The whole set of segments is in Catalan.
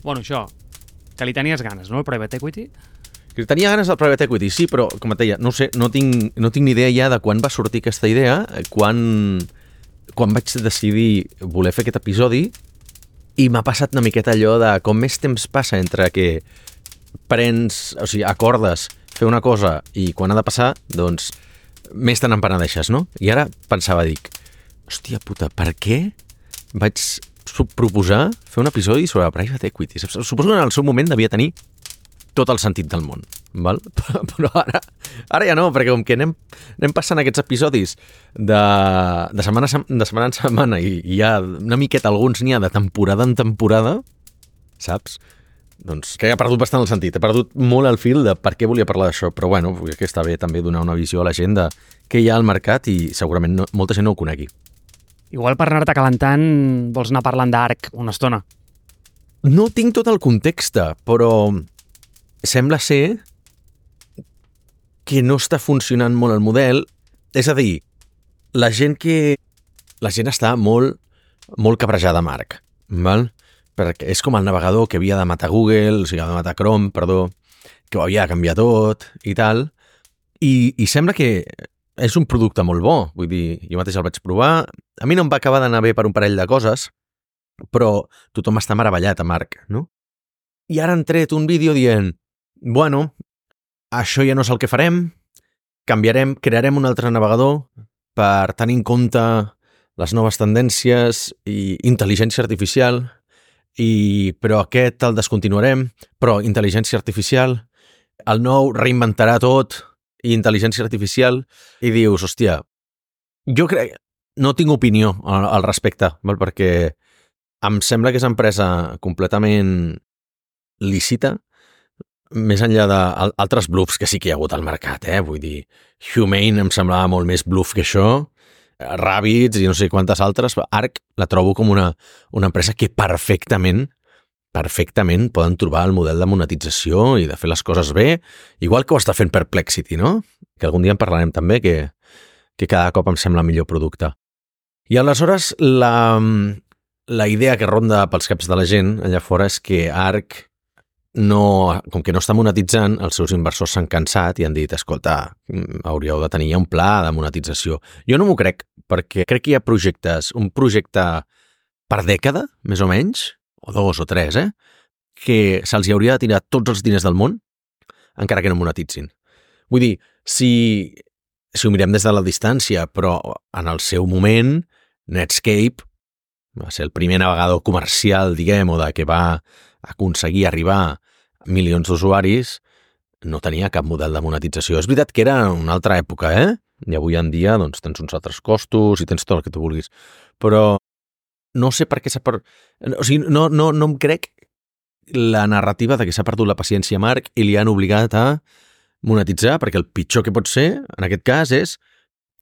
Bueno, això, que li tenies ganes, no, el Private Equity? Que tenia ganes del Private Equity, sí, però, com et deia, no sé, no tinc ni idea ja de quan va sortir aquesta idea, quan vaig decidir voler fer aquest episodi, i m'ha passat una miqueta allò de com més temps passa entre que acordes fer una cosa i quan ha de passar, doncs més te n'empenedeixes, no? I ara pensava, dic, hòstia puta, per què vaig proposar fer un episodi sobre Private Equity? Suposo que en el seu moment devia tenir tot el sentit del món, val? Però ara ja no, perquè com que anem passant aquests episodis de setmana en setmana i ja una miqueta alguns n'hi ha de temporada en temporada, saps? Doncs que he perdut bastant el sentit, he perdut molt el fil de per què volia parlar d'això, però bueno, que està bé també donar una visió a la gent de què hi ha al mercat i segurament molta gent no ho conegui. Igual per anar-te calentant vols anar parlant d'Arc una estona. No tinc tot el context, però sembla ser que no està funcionant molt el model. És a dir, la gent està molt, molt cabrejada amb Arc, val? Perquè és com el navegador que havia de matar Google, o sigui, de matar Chrome, perdó, que ho havia de canviar tot i tal, i sembla que és un producte molt bo, vull dir, jo mateix el vaig provar, a mi no em va acabar d'anar bé per un parell de coses, però tothom està meravellat amb Arc, no? I ara han tret un vídeo dient, bueno, això ja no és el que farem, crearem un altre navegador per tenir en compte les noves tendències i intel·ligència artificial, però aquest el descontinuarem, però intel·ligència artificial, el nou reinventarà tot i intel·ligència artificial, i dius, hòstia, jo crec, no tinc opinió al respecte, val? Perquè em sembla que és una empresa completament lícita, més enllà d'altres bluffs que sí que hi ha hagut al mercat, vull dir, Humane em semblava molt més bluff que això, Rabbids i no sé quantes altres, Arc la trobo com una empresa que perfectament poden trobar el model de monetització i de fer les coses bé, igual que ho està fent Perplexity, no? Que algun dia en parlarem també, que cada cop em sembla millor producte. I aleshores la idea que ronda pels caps de la gent allà fora és que Arc com que no està monetitzant, els seus inversors s'han cansat i han dit, escolta, hauríeu de tenir ja un pla de monetització. Jo no m'ho crec, perquè crec que hi ha un projecte per dècada, més o menys, o 2 o 3, que se'ls hi hauria de tirar tots els diners del món, encara que no monetitzin. Vull dir, si ho mirem des de la distància, però en el seu moment, Netscape va ser el primer navegador comercial, diguem, o que va aconseguir arribar a milions d'usuaris, no tenia cap model de monetització. És veritat que era una altra època, i avui en dia doncs, tens uns altres costos i tens tot el que tu vulguis. Però no sé per què o sigui, no em crec la narrativa de que s'ha perdut la paciència a Marc i li han obligat a monetitzar, perquè el pitjor que pot ser, en aquest cas, és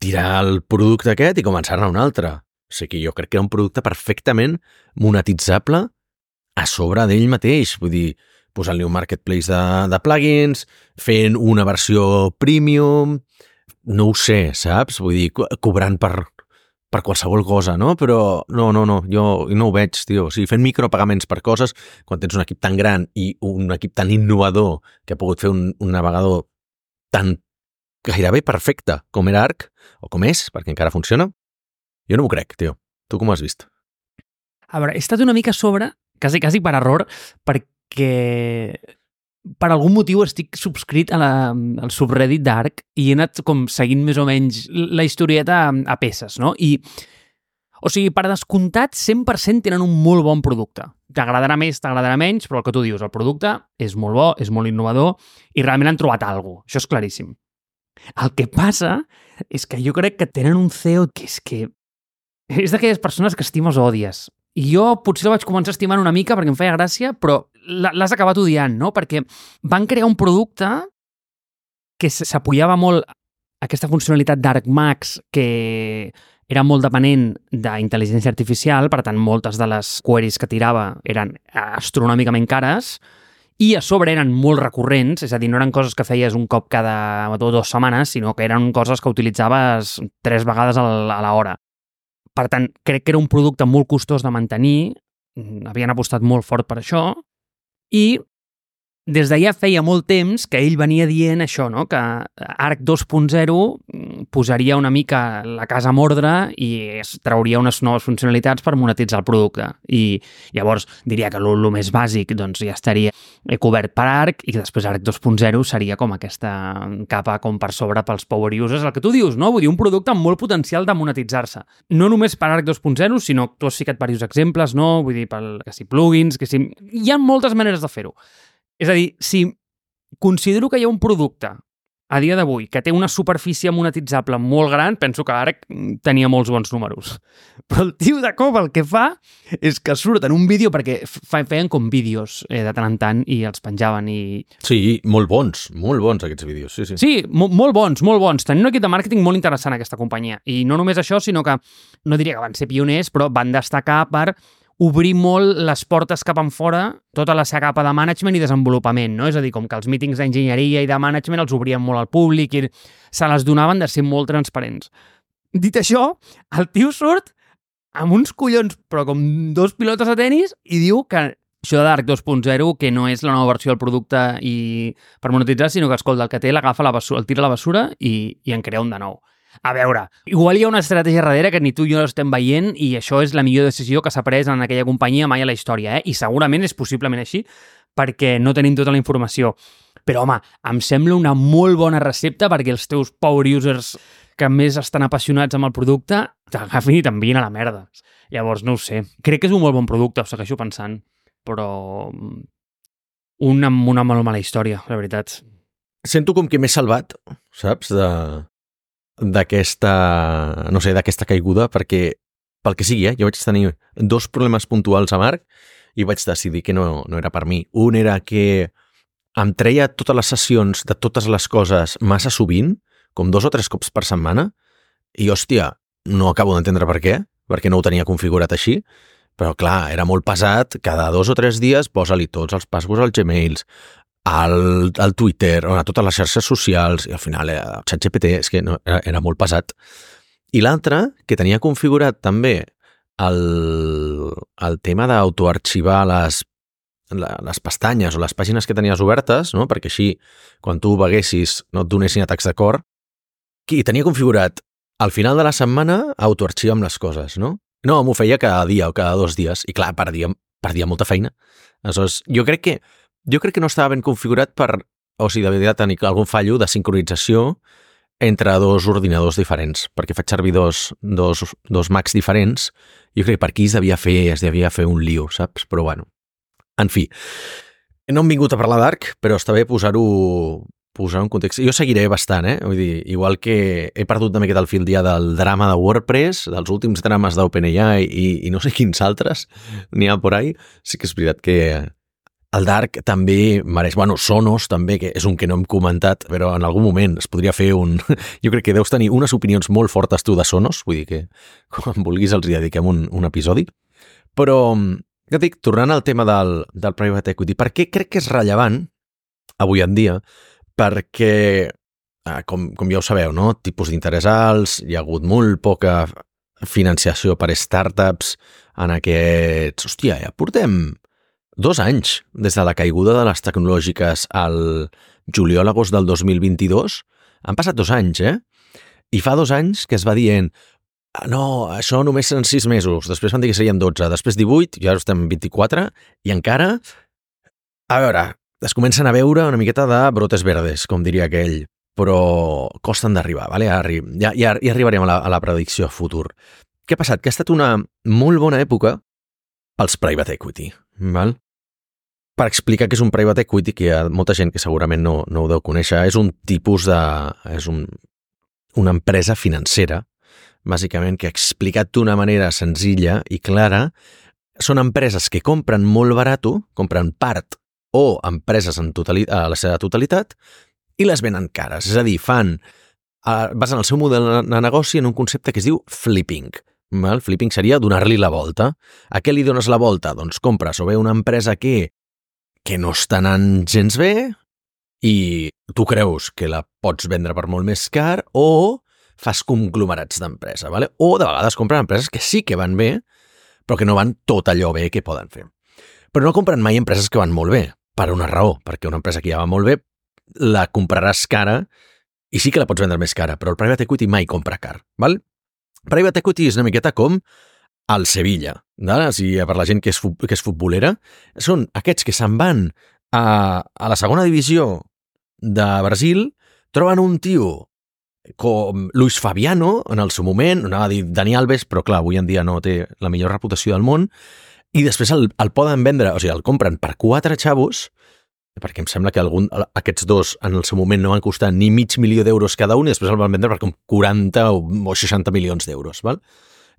tirar el producte aquest i començar-ne un altre. O sigui, jo crec que era un producte perfectament monetitzable a sobre d'ell mateix, vull dir, posant-li un marketplace de plugins, fent una versió premium, no ho sé, saps? Vull dir, cobrant per qualsevol cosa, no? Però no, jo no ho veig, tio. O sigui, fent micropagaments per coses, quan tens un equip tan gran i un equip tan innovador que ha pogut fer un navegador tan gairebé perfecte com era Arc, o com és, perquè encara funciona, jo no m'ho crec, tio. Tu com ho has vist? A veure, he estat una mica a sobre, quasi per error, perquè per algun motiu estic subscrit al subreddit d'Arc i he anat com seguint més o menys la historieta a peces, no? I, o sigui, per descomptat, 100% tenen un molt bon producte. T'agradarà més, t'agradarà menys, però el que tu dius, el producte és molt bo, és molt innovador i realment han trobat alguna cosa. Això és claríssim. El que passa és que jo crec que tenen un CEO que és d'aquelles persones que estimes o odies. I jo potser el vaig començar a estimar una mica perquè em feia gràcia, però l'has acabat odiant, no? Perquè van crear un producte que s'apoyava molt a aquesta funcionalitat d'ArcMax, que era molt depenent d'intel·ligència artificial, per tant, moltes de les queries que tirava eren astronòmicament cares, i a sobre eren molt recurrents, és a dir, no eren coses que feies un cop cada 2 setmanes, sinó que eren coses que utilitzaves 3 vegades a l'hora. Per tant, crec que era un producte molt costós de mantenir, havien apostat molt fort per això, I des de ja feia molt temps que ell venia dient això, no? Que Arc 2.0 posaria una mica la casa en ordre i es trauria unes noves funcionalitats per monetitzar el producte. I llavors diria que el més bàsic doncs, ja estaria cobert per Arc i que després Arc 2.0 seria com aquesta capa com per sobre pels power users, el que tu dius, no? Vull dir, un producte amb molt potencial de monetitzar-se. No només per Arc 2.0, sinó tu has ficat diversos exemples, no? Vull dir, que si plugins, que si... Hi ha moltes maneres de fer-ho. És a dir, si considero que hi ha un producte a dia d'avui que té una superfície monetitzable molt gran, penso que Arc tenia molts bons números. Però el tio de cop el que fa és que surt en un vídeo, perquè feien com vídeos de tant en tant i els penjaven i... Sí, molt bons aquests vídeos, sí. Sí, molt bons. Tenien un equip de màrqueting molt interessant aquesta companyia. I no només això, sinó que no diria que van ser pioners, però van destacar per obrir molt les portes cap en fora, tota la seva capa de management i desenvolupament, no? És a dir, com que els mítings d'enginyeria i de management els obrien molt al públic i se les donaven de ser molt transparents. Dit això, el tio surt amb uns collons, però com dos pilotes de tenis, i diu que això de Arc 2.0, que no és la nova versió del producte i per monetitzar, sinó que, escolta, el que té l'agafa a la basura, el tira a la basura i en crea un de nou. A veure, igual hi ha una estratègia darrere que ni tu i jo estem veient i això és la millor decisió que s'ha pres en aquella companyia mai a la història, I segurament és possiblement així perquè no tenim tota la informació. Però, home, em sembla una molt bona recepta perquè els teus power users que més estan apassionats amb el producte t'agafin i t'envien a la merda. Llavors, no ho sé. Crec que és un molt bon producte, ho segueixo pensant, però amb una molt mala història, la veritat. Sento com que m'he salvat, saps, d'aquesta caiguda, perquè pel que sigui, jo vaig tenir dos problemes puntuals amb Arc i vaig decidir que no era per mi. Un era que em treia totes les sessions de totes les coses massa sovint, com 2 o 3 cops per setmana, i hòstia, no acabo d'entendre per què, perquè no ho tenia configurat així, però clar, era molt pesat, cada 2 o 3 dies posa-li tots els passwords als Gmails, al Twitter, a totes les xarxes socials, i al final el ChatGPT és que era molt pesat. I l'altre, que tenia configurat també el tema d'autoarxivar les pestanyes o les pàgines que tenies obertes, no? Perquè així, quan tu ho veguessis, no et donessin atacs de cor, i tenia configurat al final de la setmana autoarxiva'm les coses, no? No, m'ho feia cada dia o cada 2 dies, i clar, perdia molta feina. Aleshores, jo crec que no estava ben configurat o si devia tenir algun fallo de sincronització entre 2 ordinadors diferents, perquè faig servir dos Macs diferents. Jo crec que per aquí es devia fer un lío, saps? Però bueno, en fi, no hem vingut a parlar d'Arc, però està bé posar-ho en context. Jo seguiré bastant, Vull dir, igual que he perdut també aquest fil dia del drama de WordPress, dels últims drames d'OpenAI i no sé quins altres n'hi ha por ahí, sí que és veritat que el d'Arc també mereix... Bueno, Sonos també, que és un que no hem comentat, però en algun moment es podria fer un... Jo crec que deus tenir unes opinions molt fortes tu de Sonos, vull dir que quan vulguis els hi dediquem un episodi. Però, ja et dic, tornant al tema del private equity, per què crec que és rellevant avui en dia? Perquè, com ja ho sabeu, no? Tipus d'interès alts, hi ha hagut molt poca financiació per startups en aquests... Hòstia, ja portem 2 anys des de la caiguda de les tecnològiques al juliol-agost del 2022. Han passat 2 anys, I fa 2 anys que es va dient no, això només seran 6 mesos, després van dir que serien 12, després 18, ja estem en 24, i encara, a veure, es comencen a veure una miqueta de brotes verdes, com diria aquell, però costen d'arribar, vale? Ja arribarem a la predicció futur. Què ha passat? Que ha estat una molt bona època pels private equity, val? Per explicar què és un private equity, que hi ha molta gent que segurament no ho deu conèixer, és un tipus de... és una empresa financera, bàsicament, que explicat d'una manera senzilla i clara, són empreses que compren molt barat, compren part o empreses a la seva totalitat i les venen cares. És a dir, basen el seu model de negoci en un concepte que es diu flipping. El flipping seria donar-li la volta. A què li dones la volta? Doncs compres o bé una empresa que no està anant gens bé i tu creus que la pots vendre per molt més car o fas conglomerats d'empresa, ¿vale? O de vegades compren empreses que sí que van bé però que no van tot allò bé que poden fer. Però no compren mai empreses que van molt bé, per una raó, perquè una empresa que ja va molt bé la compraràs cara i sí que la pots vendre més cara, però el private equity mai compra car, val? Private equity és una miqueta com el Sevilla, per la gent que és futbolera, són aquests que se'n van a la segona divisió de Brasil, troben un tio com Luis Fabiano, en el seu moment, anava a dir Dani Alves, però clar, avui en dia no té la millor reputació del món, i després el poden vendre, o sigui, el compren per 4 xavos, perquè em sembla que aquests dos en el seu moment no van costar ni $500,000 cada un i després el van vendre per com 40 o 60 milions d'euros, val?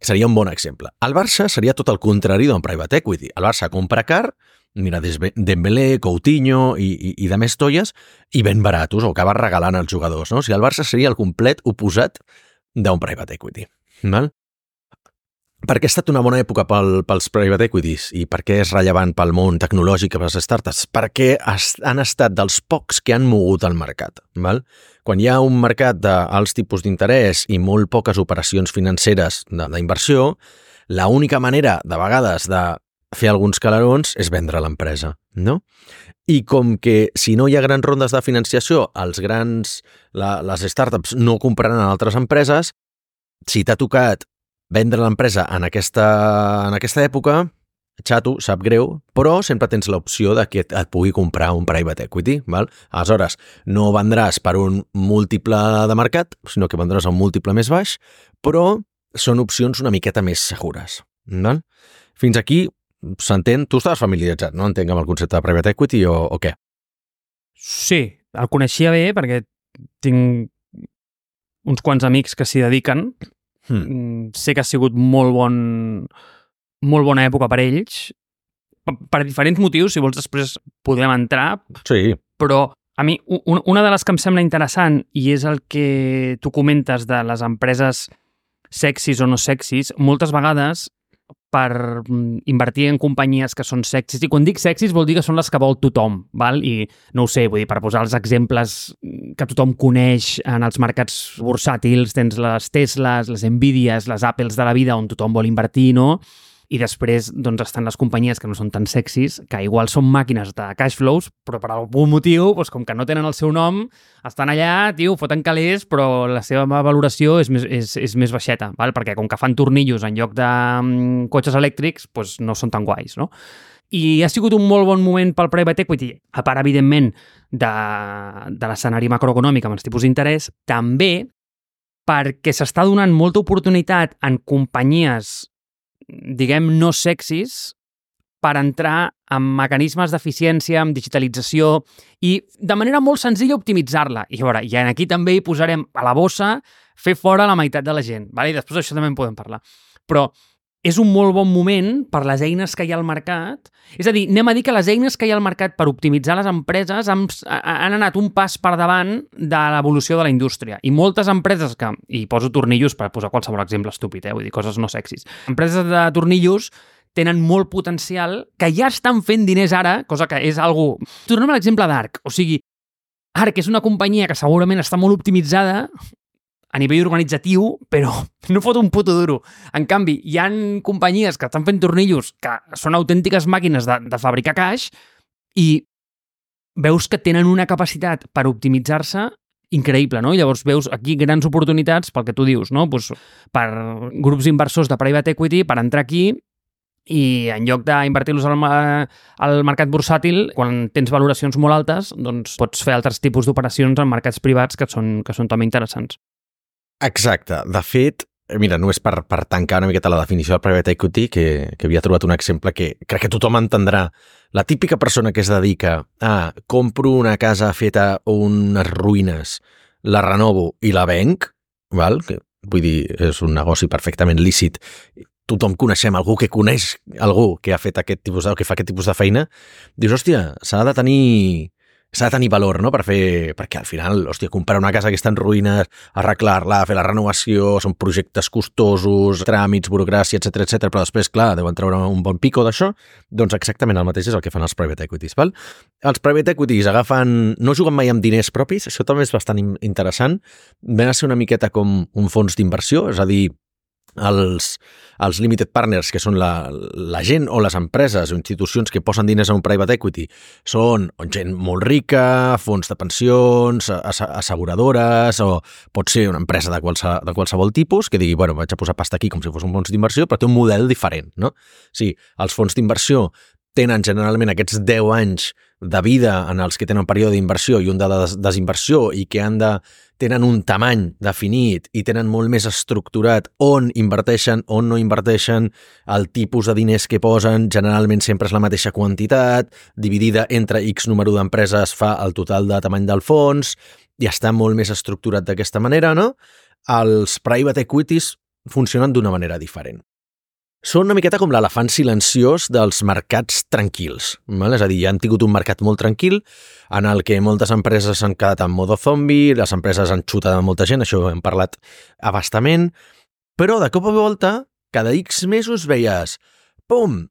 Seria un bon exemple. El Barça seria tot el contrari d'un private equity. El Barça compra car, mira, Dembélé, Coutinho i de més tolles, i ben baratos, o acaba regalant als jugadors, no? O sigui, el Barça seria el complet oposat d'un private equity. Val? Per què ha estat una bona època pels private equities i per què és rellevant pel món tecnològic i per les startups? Perquè han estat dels pocs que han mogut el mercat. Val? Quan hi ha un mercat d'alts tipus d'interès i molt poques operacions financeres d'inversió, l'única manera, de vegades, de fer alguns calarons és vendre l'empresa, no? I com que si no hi ha grans rondes de financiació, les startups no compraran a altres empreses, si t'ha tocat vendre l'empresa en aquesta època, xato, sap greu, però sempre tens l'opció de que et pugui comprar un private equity, val? Aleshores, no vendràs per un múltiple de mercat, sinó que vendràs a un múltiple més baix, però són opcions una miqueta més segures, val? Fins aquí s'entén? Tu estaves familiaritzat, no? Entenc amb el concepte de private equity o què? Sí, el coneixia bé perquè tinc uns quants amics que s'hi dediquen. Sé que ha sigut molt bona època per ells, per diferents motius, si vols després podem entrar. Sí. Però a mi, una de les que em sembla interessant, i és el que tu comentes de les empreses sexis o no sexis, moltes vegades per invertir en companyies que són sexis, i quan dic sexis vol dir que són les que vol tothom, val? I no ho sé, vull dir, per posar els exemples que tothom coneix en els mercats bursàtils, tens les Teslas, les Nvidias, les Apples de la vida on tothom vol invertir, no? I després doncs, estan les companyies que no són tan sexis, que igual són màquines de cash flows, però per algun motiu, doncs, com que no tenen el seu nom, estan allà, tio, foten calés, però la seva valoració és més baixeta, val? Perquè com que fan tornillos en lloc de cotxes elèctrics, doncs no són tan guais, no? I ha sigut un molt bon moment pel private equity, a part, evidentment, de l'escenari macroeconòmic amb els tipus d'interès, també perquè s'està donant molta oportunitat en companyies diguem, no sexis per entrar en mecanismes d'eficiència, amb digitalització i de manera molt senzilla optimitzar-la. I a veure, i aquí també hi posarem a la bossa fer fora la meitat de la gent, vale? I després d'això també en podem parlar. Però és un molt bon moment per les eines que hi ha al mercat. És a dir, anem a dir que les eines que hi ha al mercat per optimitzar les empreses han anat un pas per davant de l'evolució de la indústria. I moltes empreses que, i poso tornillos per posar qualsevol exemple estúpid, vull dir, coses no sexis. Empreses de tornillos tenen molt potencial, que ja estan fent diners ara, cosa que és algo... Tornem a l'exemple d'Arc. O sigui, Arc és una companyia que segurament està molt optimitzada a nivell organitzatiu, però no fot un puto duro. En canvi, hi ha companyies que estan fent tornillos que són autèntiques màquines de fabricar caix i veus que tenen una capacitat per optimitzar-se increïble, no? I llavors veus aquí grans oportunitats pel que tu dius, no? Pues per grups inversors de private equity per entrar aquí i en lloc d'invertir-los al mercat bursàtil, quan tens valoracions molt altes, doncs pots fer altres tipus d'operacions en mercats privats que són també interessants. Exacte. De fet, mira, només per tancar una miqueta la definició del private equity, que havia trobat un exemple que crec que tothom entendrà. La típica persona que es dedica a compro una casa feta unes ruïnes, la renovo i la venc, val? Que, vull dir, és un negoci perfectament lícit. Tothom coneixem algú que coneix algú que ha fet que fa aquest tipus de feina. Dius, hòstia, s'ha de tenir valor, no?, perquè al final, hòstia, comprar una casa que està en ruïnes, arreglar-la, fer la renovació, són projectes costosos, tràmits, burocràcia, etc, però després, clar, deuen treure un bon pico d'això, doncs exactament el mateix és el que fan els private equities, val? Els private equities no juguen mai amb diners propis, això també és bastant interessant, ven a ser una miqueta com un fons d'inversió, és a dir, els limited partners, que són la gent o les empreses o institucions que posen diners a un private equity, són gent molt rica, fons de pensions, asseguradores, o pot ser una empresa de qualsevol tipus que digui, bueno, vaig a posar pasta aquí com si fos un fons d'inversió, però té un model diferent, no? Sí, els fons d'inversió tenen generalment aquests 10 anys de vida en els que tenen un període d'inversió i un de desinversió i que tenen un tamany definit i tenen molt més estructurat on inverteixen, on no inverteixen, el tipus de diners que posen, generalment sempre és la mateixa quantitat, dividida entre X número d'empreses fa el total de tamany del fons, i està molt més estructurat d'aquesta manera, no? Els private equities funcionen d'una manera diferent. Són una miqueta com l'elefant silenciós dels mercats tranquils. Val? És a dir, han tingut un mercat molt tranquil en el que moltes empreses han quedat en modo zombi, les empreses han xutat a molta gent, això ho hem parlat a bastament, però de cop a volta, cada X mesos veies, pum,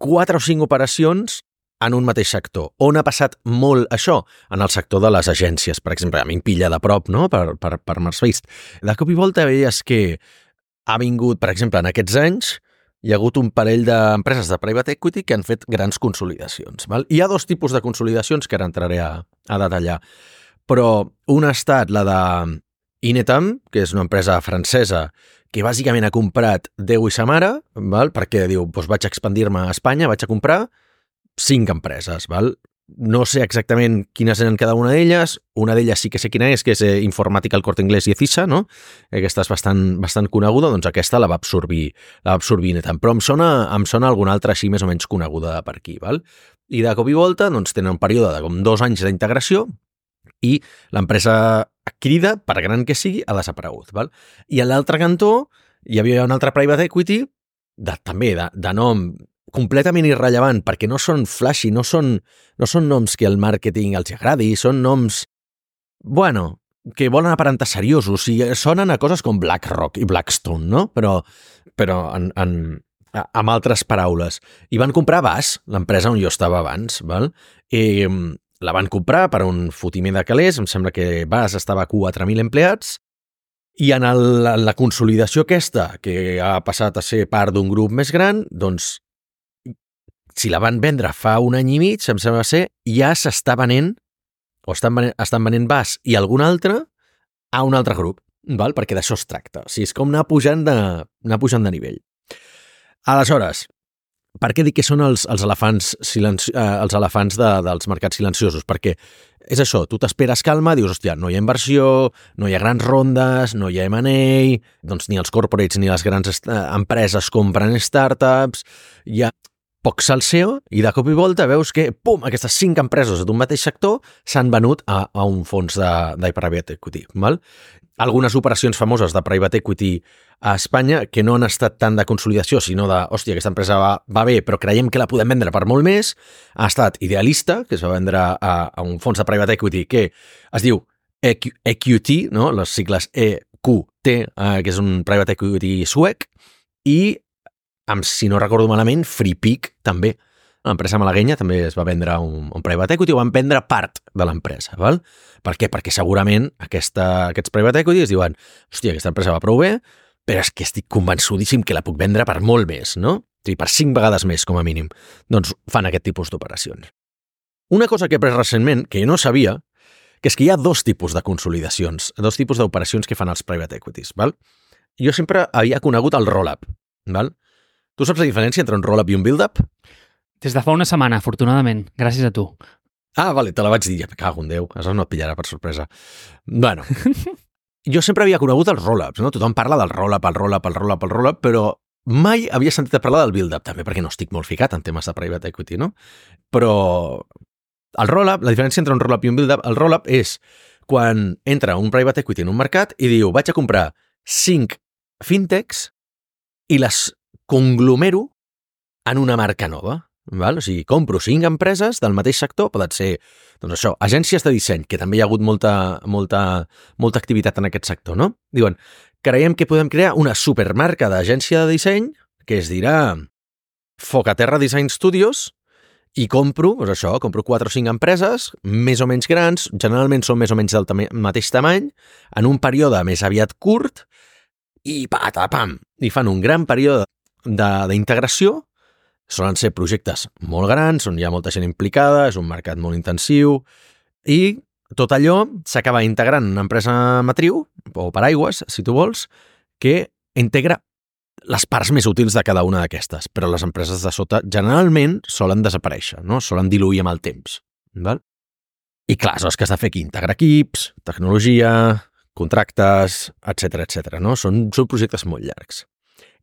4 o 5 operacions en un mateix sector. On ha passat molt això? En el sector de les agències, per exemple. A mi em pilla de prop, no?, per Marsfeist. De cop i volta veies que ha vingut, per exemple, en aquests anys, hi ha hagut un parell d'empreses de private equity que han fet grans consolidacions. Val? Hi ha 2 tipus de consolidacions que ara entraré a detallar, però una ha estat la de Inetam, que és una empresa francesa que bàsicament ha comprat Déu i sa mare, val? Perquè diu, doncs vaig a expandir-me a Espanya, vaig a comprar 5 empreses. Val? No sé exactament quines eren cada una d'elles. Una d'elles sí que sé quina és, que és Informàtica, El Corte Inglés i Ecisa, no? Aquesta és bastant coneguda, doncs aquesta la va absorbir Inetam. Però em sona alguna altra així més o menys coneguda per aquí, val? I de cop i volta doncs, tenen un període de com 2 anys d'integració i l'empresa crida, per gran que sigui, ha desaparegut, val? I a l'altre cantó hi havia un altre private equity també de nom completament irrellevant, perquè no són flashy, no són noms que el màrqueting els agradi, són noms, bueno, que volen aparentar seriosos, i sonen a coses com BlackRock i Blackstone, no? Però amb altres paraules. I van comprar BAS, l'empresa on jo estava abans, val? I la van comprar per un fotiment de calés, em sembla que BAS estava a 4.000 empleats, i en la consolidació aquesta, que ha passat a ser part d'un grup més gran, doncs si la van vendre fa 1 any i mig, em sembla ser, ja s'està venent, o estan venent BAS i algun altre a un altre grup, val? Perquè d'això es tracta. O sigui, és com anar pujant de nivell. Aleshores, per què dic que són els elefants dels mercats silenciosos? Perquè és això, tu t'esperes calma, dius, hòstia, no hi ha inversió, no hi ha grans rondes, no hi ha M&A, doncs ni els corporates ni les grans empreses compren startups, hi ha poc salseo, i de cop i volta veus que, pum, aquestes 5 empreses d'un mateix sector s'han venut a un fons de private equity. Val? Algunes operacions famoses de private equity a Espanya que no han estat tant de consolidació, sinó de, hòstia, aquesta empresa va bé, però creiem que la podem vendre per molt més, ha estat Idealista, que es va vendre a un fons de private equity que es diu EQT, no? Les sigles EQT, que és un private equity suec, i si no recordo malament, FreePic també. L'empresa malaguenya també es va vendre un private equity, o van vendre part de l'empresa. Val? Per què? Perquè segurament aquests private equity es diuen, hòstia, aquesta empresa va prou bé, però és que estic convençudíssim que la puc vendre per molt més, no? O sigui, per 5 vegades més, com a mínim. Doncs fan aquest tipus d'operacions. Una cosa que he après recentment, que jo no sabia, que és que hi ha 2 tipus de consolidacions, 2 tipus d'operacions que fan els private equities. Val? Jo sempre havia conegut el roll-up. Val? Tu saps la diferència entre un roll-up i un build-up? Des de fa una setmana, afortunadament, gràcies a tu. Ah, vale, te la vaig dir, ja me cago en Déu, això no et pillarà per sorpresa. Bueno, jo sempre havia conegut els roll-ups, no? Tothom parla del roll-up, però mai havia sentit a parlar del build-up, també perquè no estic molt ficat en temes de private equity, no? Però el roll-up, la diferència entre un roll-up i un build-up, el roll-up és quan entra un private equity en un mercat i diu, vaig a comprar 5 fintechs i les conglomero en una marca nova. Val? O sigui, compro 5 empreses del mateix sector, poden ser, doncs això, agències de disseny, que també hi ha hagut molta activitat en aquest sector, no? Diuen, creiem que podem crear una supermarca d'agència de disseny que es dirà Focaterra Design Studios, i compro 4 o 5 empreses, més o menys grans, generalment són més o menys del mateix tamany, en un període més aviat curt, i patapam, i fan un gran període d'integració. Solen ser projectes molt grans, on hi ha molta gent implicada, és un mercat molt intensiu, i tot allò s'acaba integrant en una empresa matriu, o paraigües, si tu vols, que integra les parts més útils de cada una d'aquestes, però les empreses de sota generalment solen desaparèixer, no? Solen diluir amb el temps. Val? I clar, és que has de fer aquí integrar equips, tecnologia, contractes, etc, no? Són projectes molt llargs.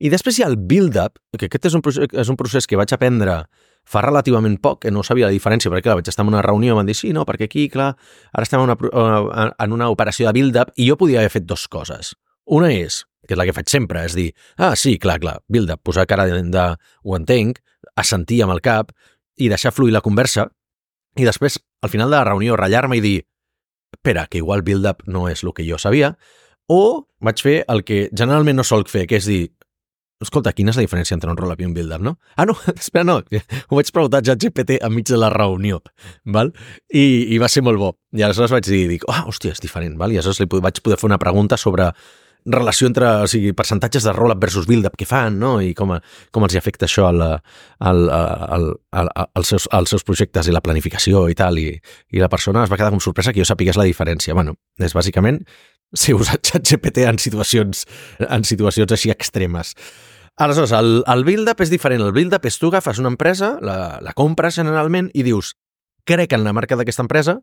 I després hi ha el build-up, que aquest és un procés que vaig aprendre fa relativament poc, que no sabia la diferència, perquè clar, vaig estar en una reunió i em van dir, sí, no, perquè aquí, clar, ara estem en una operació de build-up i jo podia haver fet dues coses. Una és, que és la que faig sempre, és dir, sí, clar, build-up, posar cara de ho entenc, assentir amb el cap i deixar fluir la conversa i després, al final de la reunió, ratllar-me i dir, espera, que igual build-up no és el que jo sabia, o vaig fer el que generalment no solc fer, que és dir, escolta, quina és la diferència entre un roll-up i un build-up, no? No, espera, no, ho vaig preguntar a ChatGPT enmig de la reunió, val? I va ser molt bo. I aleshores vaig dir, hòstia, és diferent, val? I aleshores vaig poder fer una pregunta sobre relació entre, percentatges de roll-up versus build-up que fan, no? I com els hi afecta això als seus projectes i la planificació i tal, i la persona es va quedar com sorpresa que jo sapigués la diferència. Bueno, és bàsicament ser usat ChatGPT en situacions així extremes. Aleshores, el build-up és diferent. El build-up és tu agafes una empresa, la compres generalment i dius, crec en la marca d'aquesta empresa,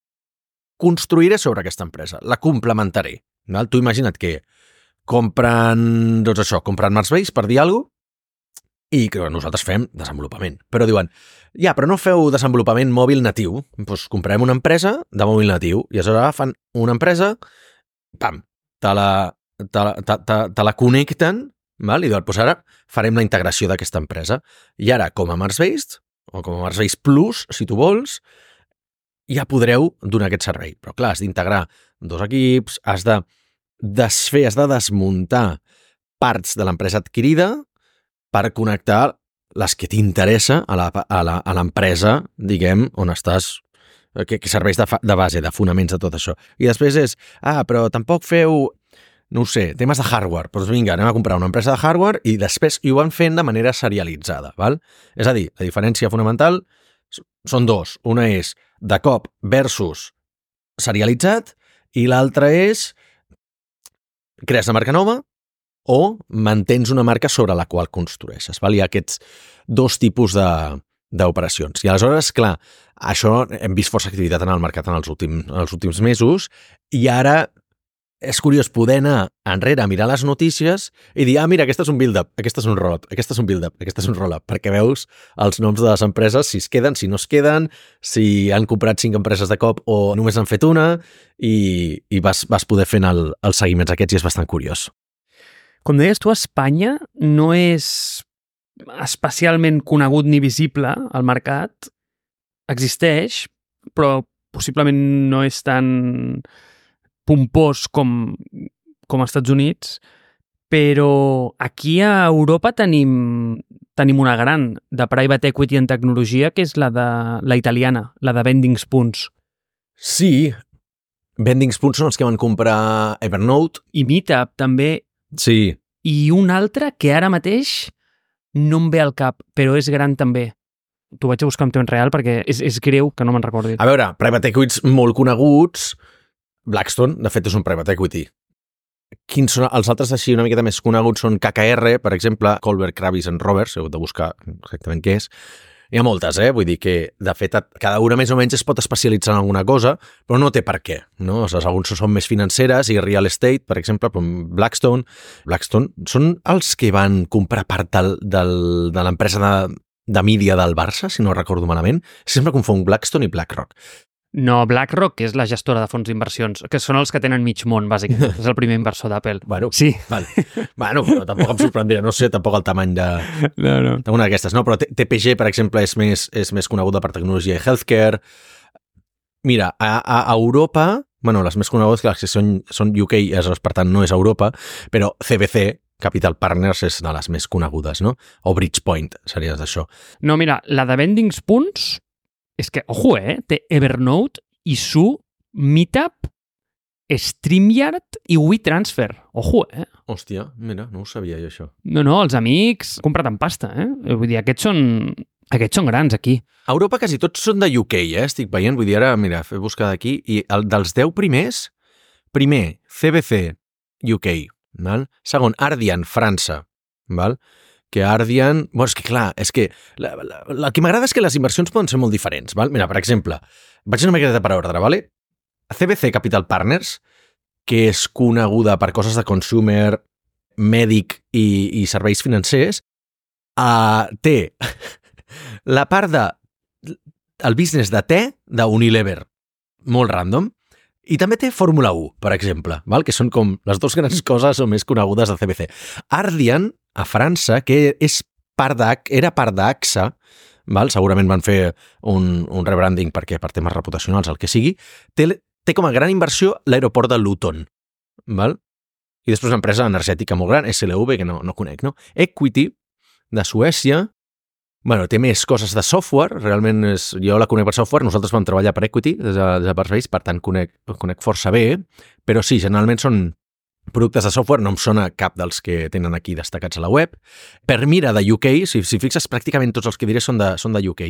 construiré sobre aquesta empresa, la complementaré. Val? Tu imagina't que compren Mars Base, per dir alguna cosa, i que nosaltres fem desenvolupament. Però diuen, però no feu desenvolupament mòbil natiu, doncs comprem una empresa de mòbil natiu, i aleshores fan una empresa, pam, te la connecten, val? I doncs ara farem la integració d'aquesta empresa. I ara, com a Mars-Based, o com a Mars-Based Plus, si tu vols, ja podreu donar aquest servei. Però clar, has d'integrar dos equips, has de desfer, has de desmuntar parts de l'empresa adquirida per connectar les que t'interessa a l'empresa, diguem, on estàs, que serveix de base, de fonaments de tot això. I després és, però tampoc feu, no ho sé, temes de hardware. Doncs vinga, anem a comprar una empresa de hardware i després ho van fent de manera serialitzada. Val? És a dir, la diferència fonamental són dos. Una és de cop versus serialitzat i l'altra és crees una marca nova o mantens una marca sobre la qual construeixes. Val? Hi ha aquests dos tipus d'operacions. I aleshores, clar, això hem vist força activitat en el mercat en els últims mesos i ara és curiós poder anar enrere a mirar les notícies i dir, mira, aquesta és un build-up, aquesta és un roll-up, aquesta és un build-up, aquesta és un roll-up, perquè veus els noms de les empreses, si es queden, si no es queden, si han comprat 5 empreses de cop o només han fet una i vas poder fent els seguiments aquests i és bastant curiós. Com deies tu, Espanya no és especialment conegut ni visible al mercat, existeix, però possiblement no és tan pompós com als Estats Units, però aquí a Europa tenim una gran de private equity en tecnologia, que és la italiana, la de Vending Spoons. Sí, Vending Spoons són els que van comprar Evernote. I Meetup també. Sí. I un altre que ara mateix no em ve al cap, però és gran també. T'ho vaig a buscar en temps real perquè és greu que no me'n recordi. A veure, private equities molt coneguts, Blackstone, de fet, és un private equity. Quins són els altres així una miqueta més coneguts? Són KKR, per exemple, Kohlberg, Kravis and Roberts, heu de buscar exactament què és. Hi ha moltes, vull dir que, de fet, cada una més o menys es pot especialitzar en alguna cosa, però no té per què, no? O sigui, alguns són més financeres i real estate, per exemple, Blackstone són els que van comprar part de l'empresa de mídia del Barça, si no recordo malament. Sempre confon Blackstone i BlackRock. No, BlackRock, que és la gestora de fons d'inversions, que són els que tenen mig món, bàsicament. És el primer inversor d'Apple. Bueno, sí. Vale. Bueno, però tampoc em sorprendria, no sé tampoc el tamany d'una d'aquestes. No, però TPG, per exemple, és més coneguda per tecnologia i healthcare. Mira, a Europa, bueno, les més conegudes que són UK, per tant no és Europa, però CVC, Capital Partners, és de les més conegudes, no? O Bridgepoint, series d'això. No, mira, la de Vending Spoons és que, ojo, té Evernote, Issuu, Meetup StreamYard i WeTransfer. Ojo, Hòstia, mira, no ho sabia jo, això. No, els amics comprat en pasta, Vull dir, aquests són grans aquí. A Europa quasi tots són de UK, estic veient. Vull dir, ara, mira, he buscat aquí, i dels 10 primers, primer, CBC, UK, val? Segon, Ardian, França, val? Que Ardian... Bueno, és que clar, és que el que m'agrada és que les inversions poden ser molt diferents, val? Mira, per exemple, vaig una miqueta per ordre, vale? CBC Capital Partners, que és coneguda per coses de consumer, mèdic i serveis financers, té la part el business de te d'Unilever, molt random, i també té Fórmula 1, per exemple, val? Que són com les dues grans coses o més conegudes de CBC. Ardian, a França, que era part d'AXA, val? Segurament van fer un rebranding per temes reputacionals, el que sigui, té com a gran inversió l'aeroport de Luton, val? I després una empresa energètica molt gran, SLV, que no conec, no? Equity, de Suècia, bueno, té més coses de software, realment jo la conec per software, nosaltres vam treballar per Equity des de Barcelona, per tant conec força bé, però sí, generalment són productes de software, no em sona cap dels que tenen aquí destacats a la web. Per mira de UK, si fixes, pràcticament tots els que diré són de UK,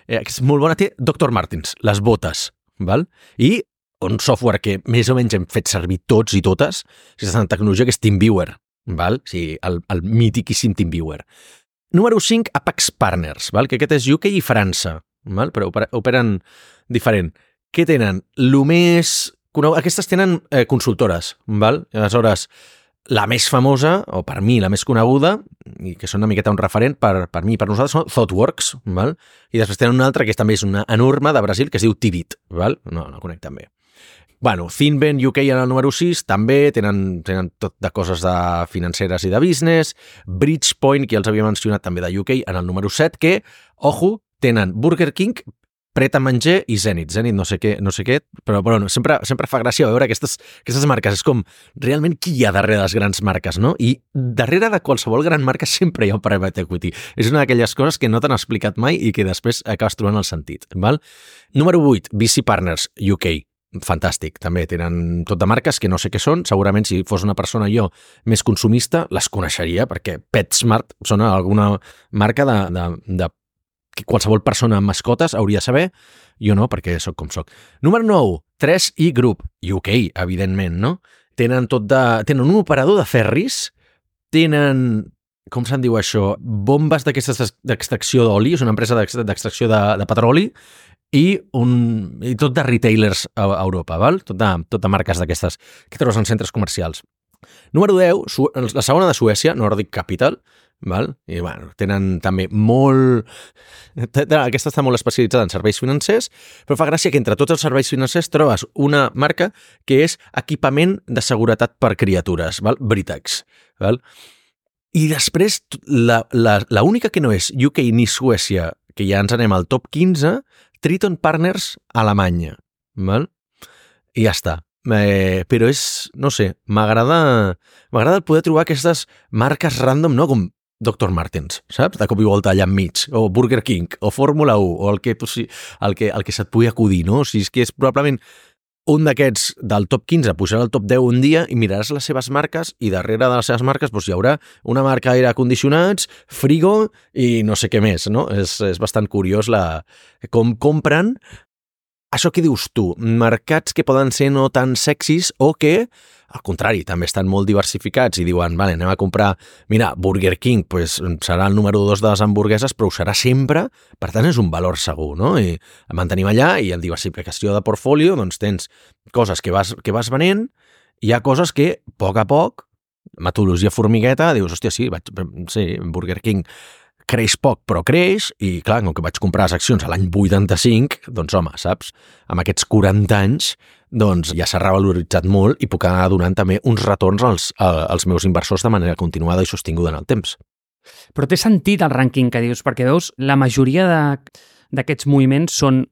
és molt bona, té Dr. Martens, les botes, val? I un software que més o menys hem fet servir tots i totes, si estàs en tecnologia, que és TeamViewer, val? Sí, el mítiquíssim TeamViewer. Número 5, Apex Partners, val? Que aquest és UK i França, val? Però operen diferent. Què tenen? Aquestes tenen consultores, val? Aleshores, la més famosa, o per mi la més coneguda, i que són una miqueta un referent per mi i per nosaltres, són ThoughtWorks, val? I després tenen una altra que també és una enorme de Brasil, que es diu Tivit, val? No conec tan bé. Bueno, Finven UK en el número 6 també tenen tot de coses de financeres i de business. Bridgepoint, que ja els havia mencionat també de UK, en el número 7, que, ojo, tenen Burger King, Pret a Manger i Zenith. Zenith no sé què, però bueno, sempre fa gràcia veure aquestes marques. És com realment qui hi ha darrere de les grans marques, no? I darrere de qualsevol gran marca sempre hi ha un private equity. És una d'aquelles coses que no t'han explicat mai i que després acabes trobant el sentit, val? Número 8, VC Partners UK. Fantàstic, també tenen tot de marques que no sé què són, segurament si fos una persona jo més consumista les coneixeria, perquè PetSmart sona alguna marca de que qualsevol persona amb mascotes hauria de saber, jo no, perquè sóc com sóc. Número 9, 3i Group, UK, evidentment, no? Tenen un operador de ferris, tenen, com se'n diu això, bombes d'aquestes d'extracció d'oli, és una empresa d'extracció de petroli, i tot de retailers a Europa, val? Tot de marques d'aquestes que trobes en centres comercials. Número 10, la segona de Suècia, Nordic Capital, val? I bueno, tenen també molt... Aquesta està molt especialitzada en serveis financers, però fa gràcia que entre tots els serveis financers trobes una marca que és equipament de seguretat per criatures, val? Britax, val? I després, la única que no és UK ni Suècia, que ja ens anem al top 15, Triton Partners, Alemanya, val? I ja està. Però és, no sé, m'agrada el poder trobar aquestes marques random, no? Com Dr. Martens, saps? De cop i volta allà enmig, o Burger King, o Fórmula 1, o el que se't pugui acudir, no? O sigui, és que és probablement un d'aquests del top 15 pujarà al top 10 un dia i miraràs les seves marques i darrere de les seves marques doncs, hi haurà una marca d'aire condicionats, frigo i no sé què més, no? És bastant curiós com compren això que dius tu, mercats que poden ser no tan sexis o que, al contrari, també estan molt diversificats i diuen, vale, anem a comprar, mira, Burger King pues, serà el número 2 de les hamburgueses, però ho serà sempre, per tant és un valor segur, no? I el mantenim allà i en diversificació de portfolio doncs tens coses que vas venent, hi ha coses que, a poc, metodologia formigueta, dius, hòstia, sí, Burger King creix poc, però creix, i clar, com que vaig comprar les accions a l'any 85, doncs home, saps? Amb aquests 40 anys, doncs ja s'ha revaloritzat molt i puc anar donant també uns retorns als meus inversors de manera continuada i sostinguda en el temps. Però té sentit el rànquing que dius, perquè veus, la majoria d'aquests moviments són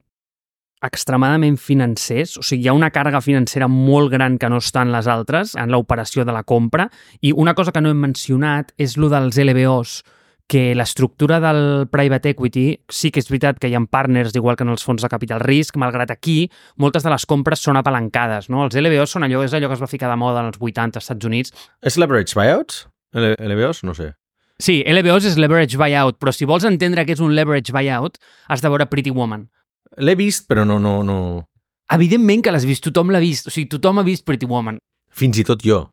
extremadament financers, o sigui, hi ha una càrrega financera molt gran que no està en les altres, en l'operació de la compra, i una cosa que no hem mencionat és lo dels LBOs, que l'estructura del private equity sí que és veritat que hi ha partners, igual que en els fons de capital risc, malgrat aquí moltes de les compres són apalancades, no? Els LBOs són és allò que es va ficar de moda en els 80 als Estats Units. És leverage buyouts? LBOs? No sé. Sí, LBOs és leverage buyout, però si vols entendre què és un leverage buyout, has de veure Pretty Woman. L'he vist, però no. Evidentment que l'has vist, tothom l'ha vist, o sigui, tothom ha vist Pretty Woman. Fins i tot jo.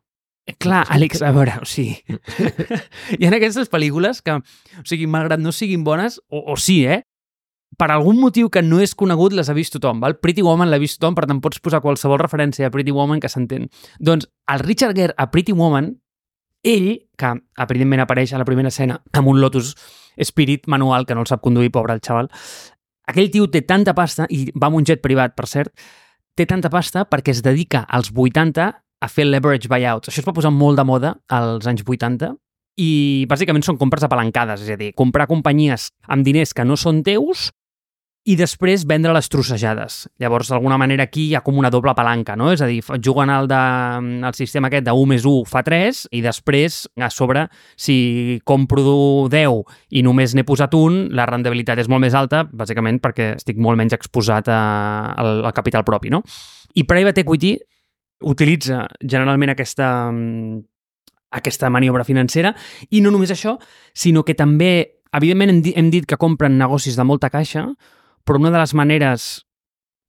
Clar, Àlex, a veure, o sigui, hi ha aquestes pel·lícules que, o sigui, malgrat no siguin bones, o sí, per algun motiu que no és conegut les ha vist tothom, val? Pretty Woman l'ha vist tothom, per tant pots posar qualsevol referència a Pretty Woman que s'entén. Doncs el Richard Gere a Pretty Woman, ell, que evidentment apareix a la primera escena amb un Lotus Spirit manual que no el sap conduir, pobre el xaval, aquell tio té tanta pasta, i va amb un jet privat, per cert, té tanta pasta perquè es dedica als 80 a fer leverage buyouts. Això es va posar molt de moda als anys 80 i bàsicament són compres apalancades, és a dir, comprar companyies amb diners que no són teus i després vendre-les trossejades. Llavors, d'alguna manera, aquí hi ha com una doble palanca, no? És a dir, juguen el sistema aquest de 1+1 fa 3 i després, a sobre, si compro 10 i només n'he posat un, la rendibilitat és molt més alta, bàsicament perquè estic molt menys exposat al capital propi, no? I private equity utilitza generalment aquesta maniobra financera i no només això, sinó que també, evidentment hem dit que compren negocis de molta caixa, però una de les maneres,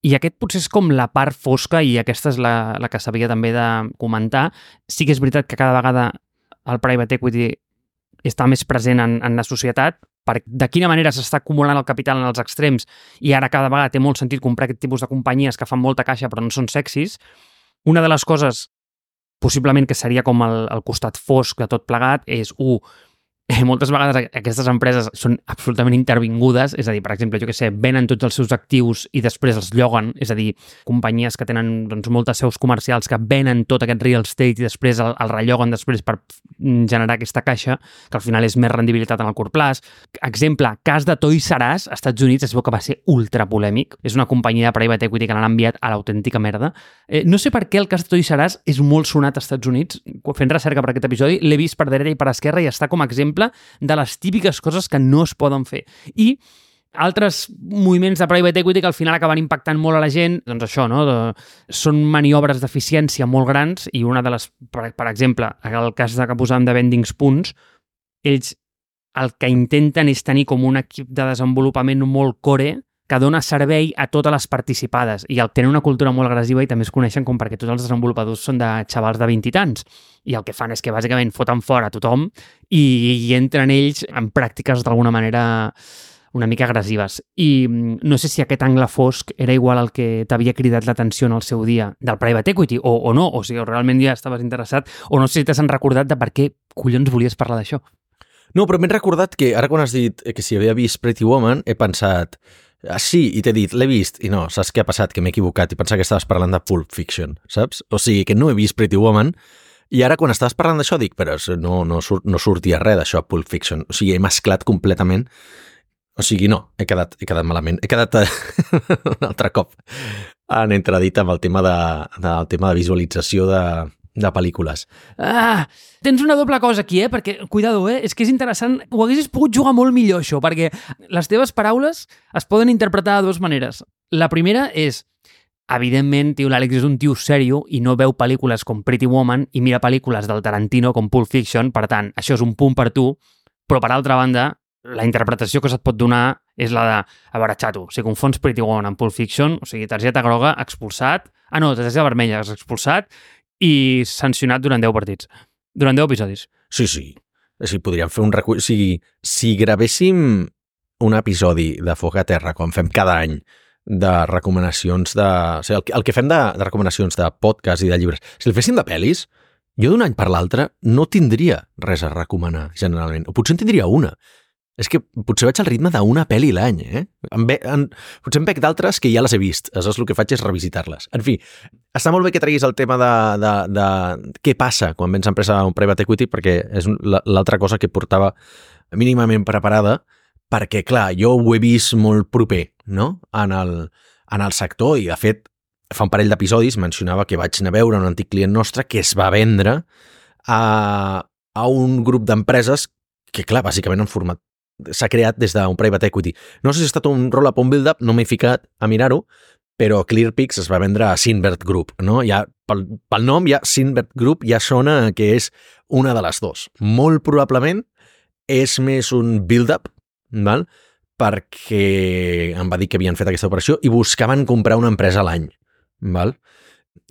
i aquest potser és com la part fosca i aquesta és la que s'havia també de comentar, sí que és veritat que cada vegada el private equity està més present en la societat, de quina manera s'està acumulant el capital en els extrems i ara cada vegada té molt sentit comprar aquest tipus de companyies que fan molta caixa però no són sexis. Una de les coses, possiblement que seria com el costat fosc de tot plegat, és, moltes vegades aquestes empreses són absolutament intervingudes, és a dir, per exemple, jo què sé, venen tots els seus actius i després els lloguen, és a dir, companyies que tenen doncs, moltes seus comercials que venen tot aquest real estate i després el relloguen després per generar aquesta caixa, que al final és més rendibilitat en el curt plaç. Exemple, cas de Toys R Us, als Estats Units es veu que va ser ultra polèmic, és una companyia de private equity que l'han enviat a l'autèntica merda. No sé per què el cas de Toys R Us és molt sonat als Estats Units, fent recerca per aquest episodi, l'he vist per dreta i per esquerra i està com a exemple de les típiques coses que no es poden fer. I altres moviments de private equity que al final acaben impactant molt a la gent, doncs això, no? Són maniobres d'eficiència molt grans i una de les, per exemple, el cas que posàvem de Vending Spoons, ells el que intenten és tenir com un equip de desenvolupament molt core que dona servei a totes les participades i tenen una cultura molt agressiva i també es coneixen com perquè tots els desenvolupadors són de xavals de 20 i tants i el que fan és que bàsicament foten fora a tothom i entren ells en pràctiques d'alguna manera una mica agressives. I no sé si aquest angle fosc era igual al que t'havia cridat l'atenció en el seu dia del private equity o no, o sigui, realment ja estaves interessat o no sé si t'has recordat de per què collons volies parlar d'això. No, però m'he recordat que ara quan has dit que si havia vist Pretty Woman he pensat sí, i t'he dit, l'he vist, i no, saps què ha passat? Que m'he equivocat i pensava que estaves parlant de Pulp Fiction, saps? O sigui, que no he vist Pretty Woman, i ara quan estaves parlant d'això dic, però no sortia res d'això a Pulp Fiction, o sigui, he mesclat completament, o sigui, no, he quedat malament, he quedat un altre cop en entredit amb el tema de visualització de pel·lícules. Tens una doble cosa aquí, perquè, cuidado, és que és interessant, ho haguessis pogut jugar molt millor això, perquè les teves paraules es poden interpretar de dues maneres. La primera és, evidentment, l'Àlex és un tio sèrio i no veu pel·lícules com Pretty Woman i mira pel·lícules del Tarantino com Pulp Fiction, per tant, això és un punt per tu, però per altra banda, la interpretació que se't pot donar és la de, a veure, xato, si confons Pretty Woman amb Pulp Fiction, o sigui, targeta groga, expulsat, targeta vermella, expulsat, i sancionat durant 10 partits. Durant 10 episodis. Sí. O sigui, podríem fer un recull... O sigui, si gravéssim un episodi de Foc a Terra, com fem cada any, de recomanacions de... O sigui, el que fem de recomanacions de podcast i de llibres, si el féssim de pel·lis, jo d'un any per l'altre no tindria res a recomanar, generalment. O potser en tindria una. És que potser vaig al ritme d'una pel·li l'any, Potser em veig d'altres que ja les he vist. Aleshores el que faig és revisitar-les. En fi, està molt bé que treguis el tema de què passa quan vens a empresa un private equity, perquè és l'altra cosa que portava mínimament preparada, perquè, clar, jo ho he vist molt proper, no?, en el sector, i de fet, fa un parell d'episodis mencionava que vaig anar a veure un antic client nostre que es va vendre a un grup d'empreses que clar, bàsicament s'ha creat des d'un private equity. No sé si ha estat un roll-up o un build-up, no m'he ficat a mirar-ho, però Clearpix es va vendre a Sinvert Group, no? Ja, pel nom, ja Sinvert Group ja sona que és una de les dos. Molt probablement és més un build-up, val? Perquè em va dir que havien fet aquesta operació i buscaven comprar una empresa a l'any, val?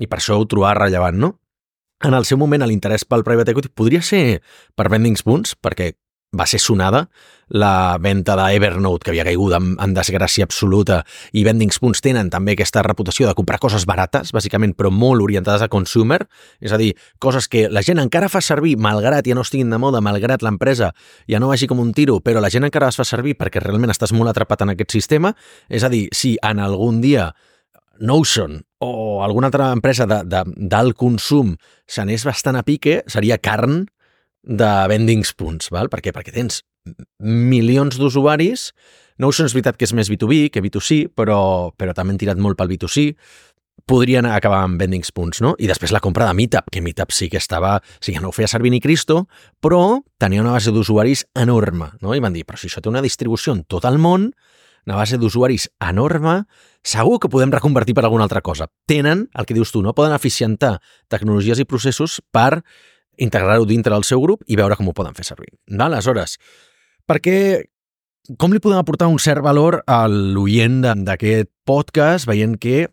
I per això ho trobava rellevant, no? En el seu moment, l'interès pel private equity podria ser per Vending Spoons, perquè va ser sonada la venda d'Evernote, que havia caigut en desgràcia absoluta, i Vending Spoons tenen també aquesta reputació de comprar coses barates, bàsicament, però molt orientades a consumer, és a dir, coses que la gent encara fa servir, malgrat ja no estiguin de moda, malgrat l'empresa ja no vagi com un tiro, però la gent encara les fa servir perquè realment estàs molt atrapat en aquest sistema, és a dir, si en algun dia Notion o alguna altra empresa d'alt consum s'anés bastant a pique, seria carn de Vending Spoons, val? Per què? Perquè tens milions d'usuaris. Notion és veritat que és més B2B que B2C, però també han tirat molt pel B2C. Podrien acabar amb Vending Spoons, no? I després la compra de Meetup, que Meetup sí que estava... Sí que no ho feia servir ni Cristo, però tenia una base d'usuaris enorme, no? I van dir, però si això té una distribució en tot el món, una base d'usuaris enorme, segur que podem reconvertir per alguna altra cosa. Tenen, el que dius tu, no? Poden eficientar tecnologies i processos per integrar-ho dintre del seu grup i veure com ho poden fer servir. Aleshores, com li podem aportar un cert valor a l'oient d'aquest podcast, veient que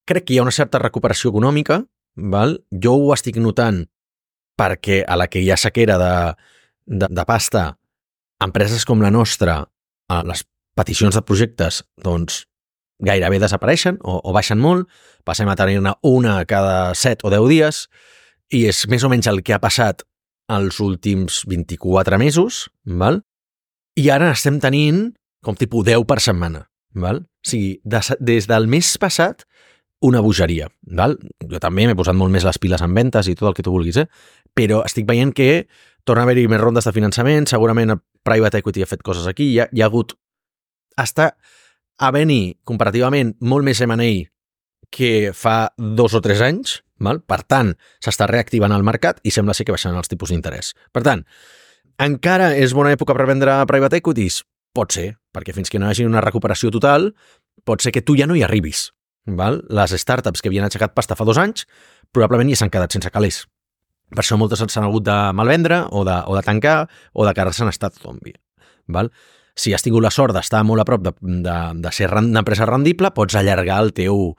crec que hi ha una certa recuperació econòmica, val? Jo ho estic notant perquè a la que hi ha sequera de pasta, empreses com la nostra, a les peticions de projectes, doncs, gairebé desapareixen o baixen molt, passem a tenir-ne una cada 7 o 10 dies, i és més o menys el que ha passat els últims 24 mesos, val? I ara estem tenint com tipus 10 per setmana, val? O sigui, des del mes passat, una bogeria, val? Jo també m'he posat molt més les piles en ventes i tot el que tu vulguis, però estic veient que torna a haver-hi més rondes de finançament, segurament el private equity ha fet coses aquí, hi ha hagut... Està havent-hi, comparativament, molt més M&A que fa 2 o 3 anys, val? Per tant, s'està reactivant el mercat i sembla ser que baixaran els tipus d'interès. Per tant, encara és bona època per vendre private equities? Pot ser, perquè fins que no hi hagi una recuperació total, pot ser que tu ja no hi arribis. Val? Les startups que havien aixecat pasta fa 2 anys probablement ja s'han quedat sense calés. Per això moltes s'han hagut de malvendre o de tancar o de quedar-se en estat zombi. Val? Si has tingut la sort d'estar molt a prop de ser una empresa rendible, pots allargar el teu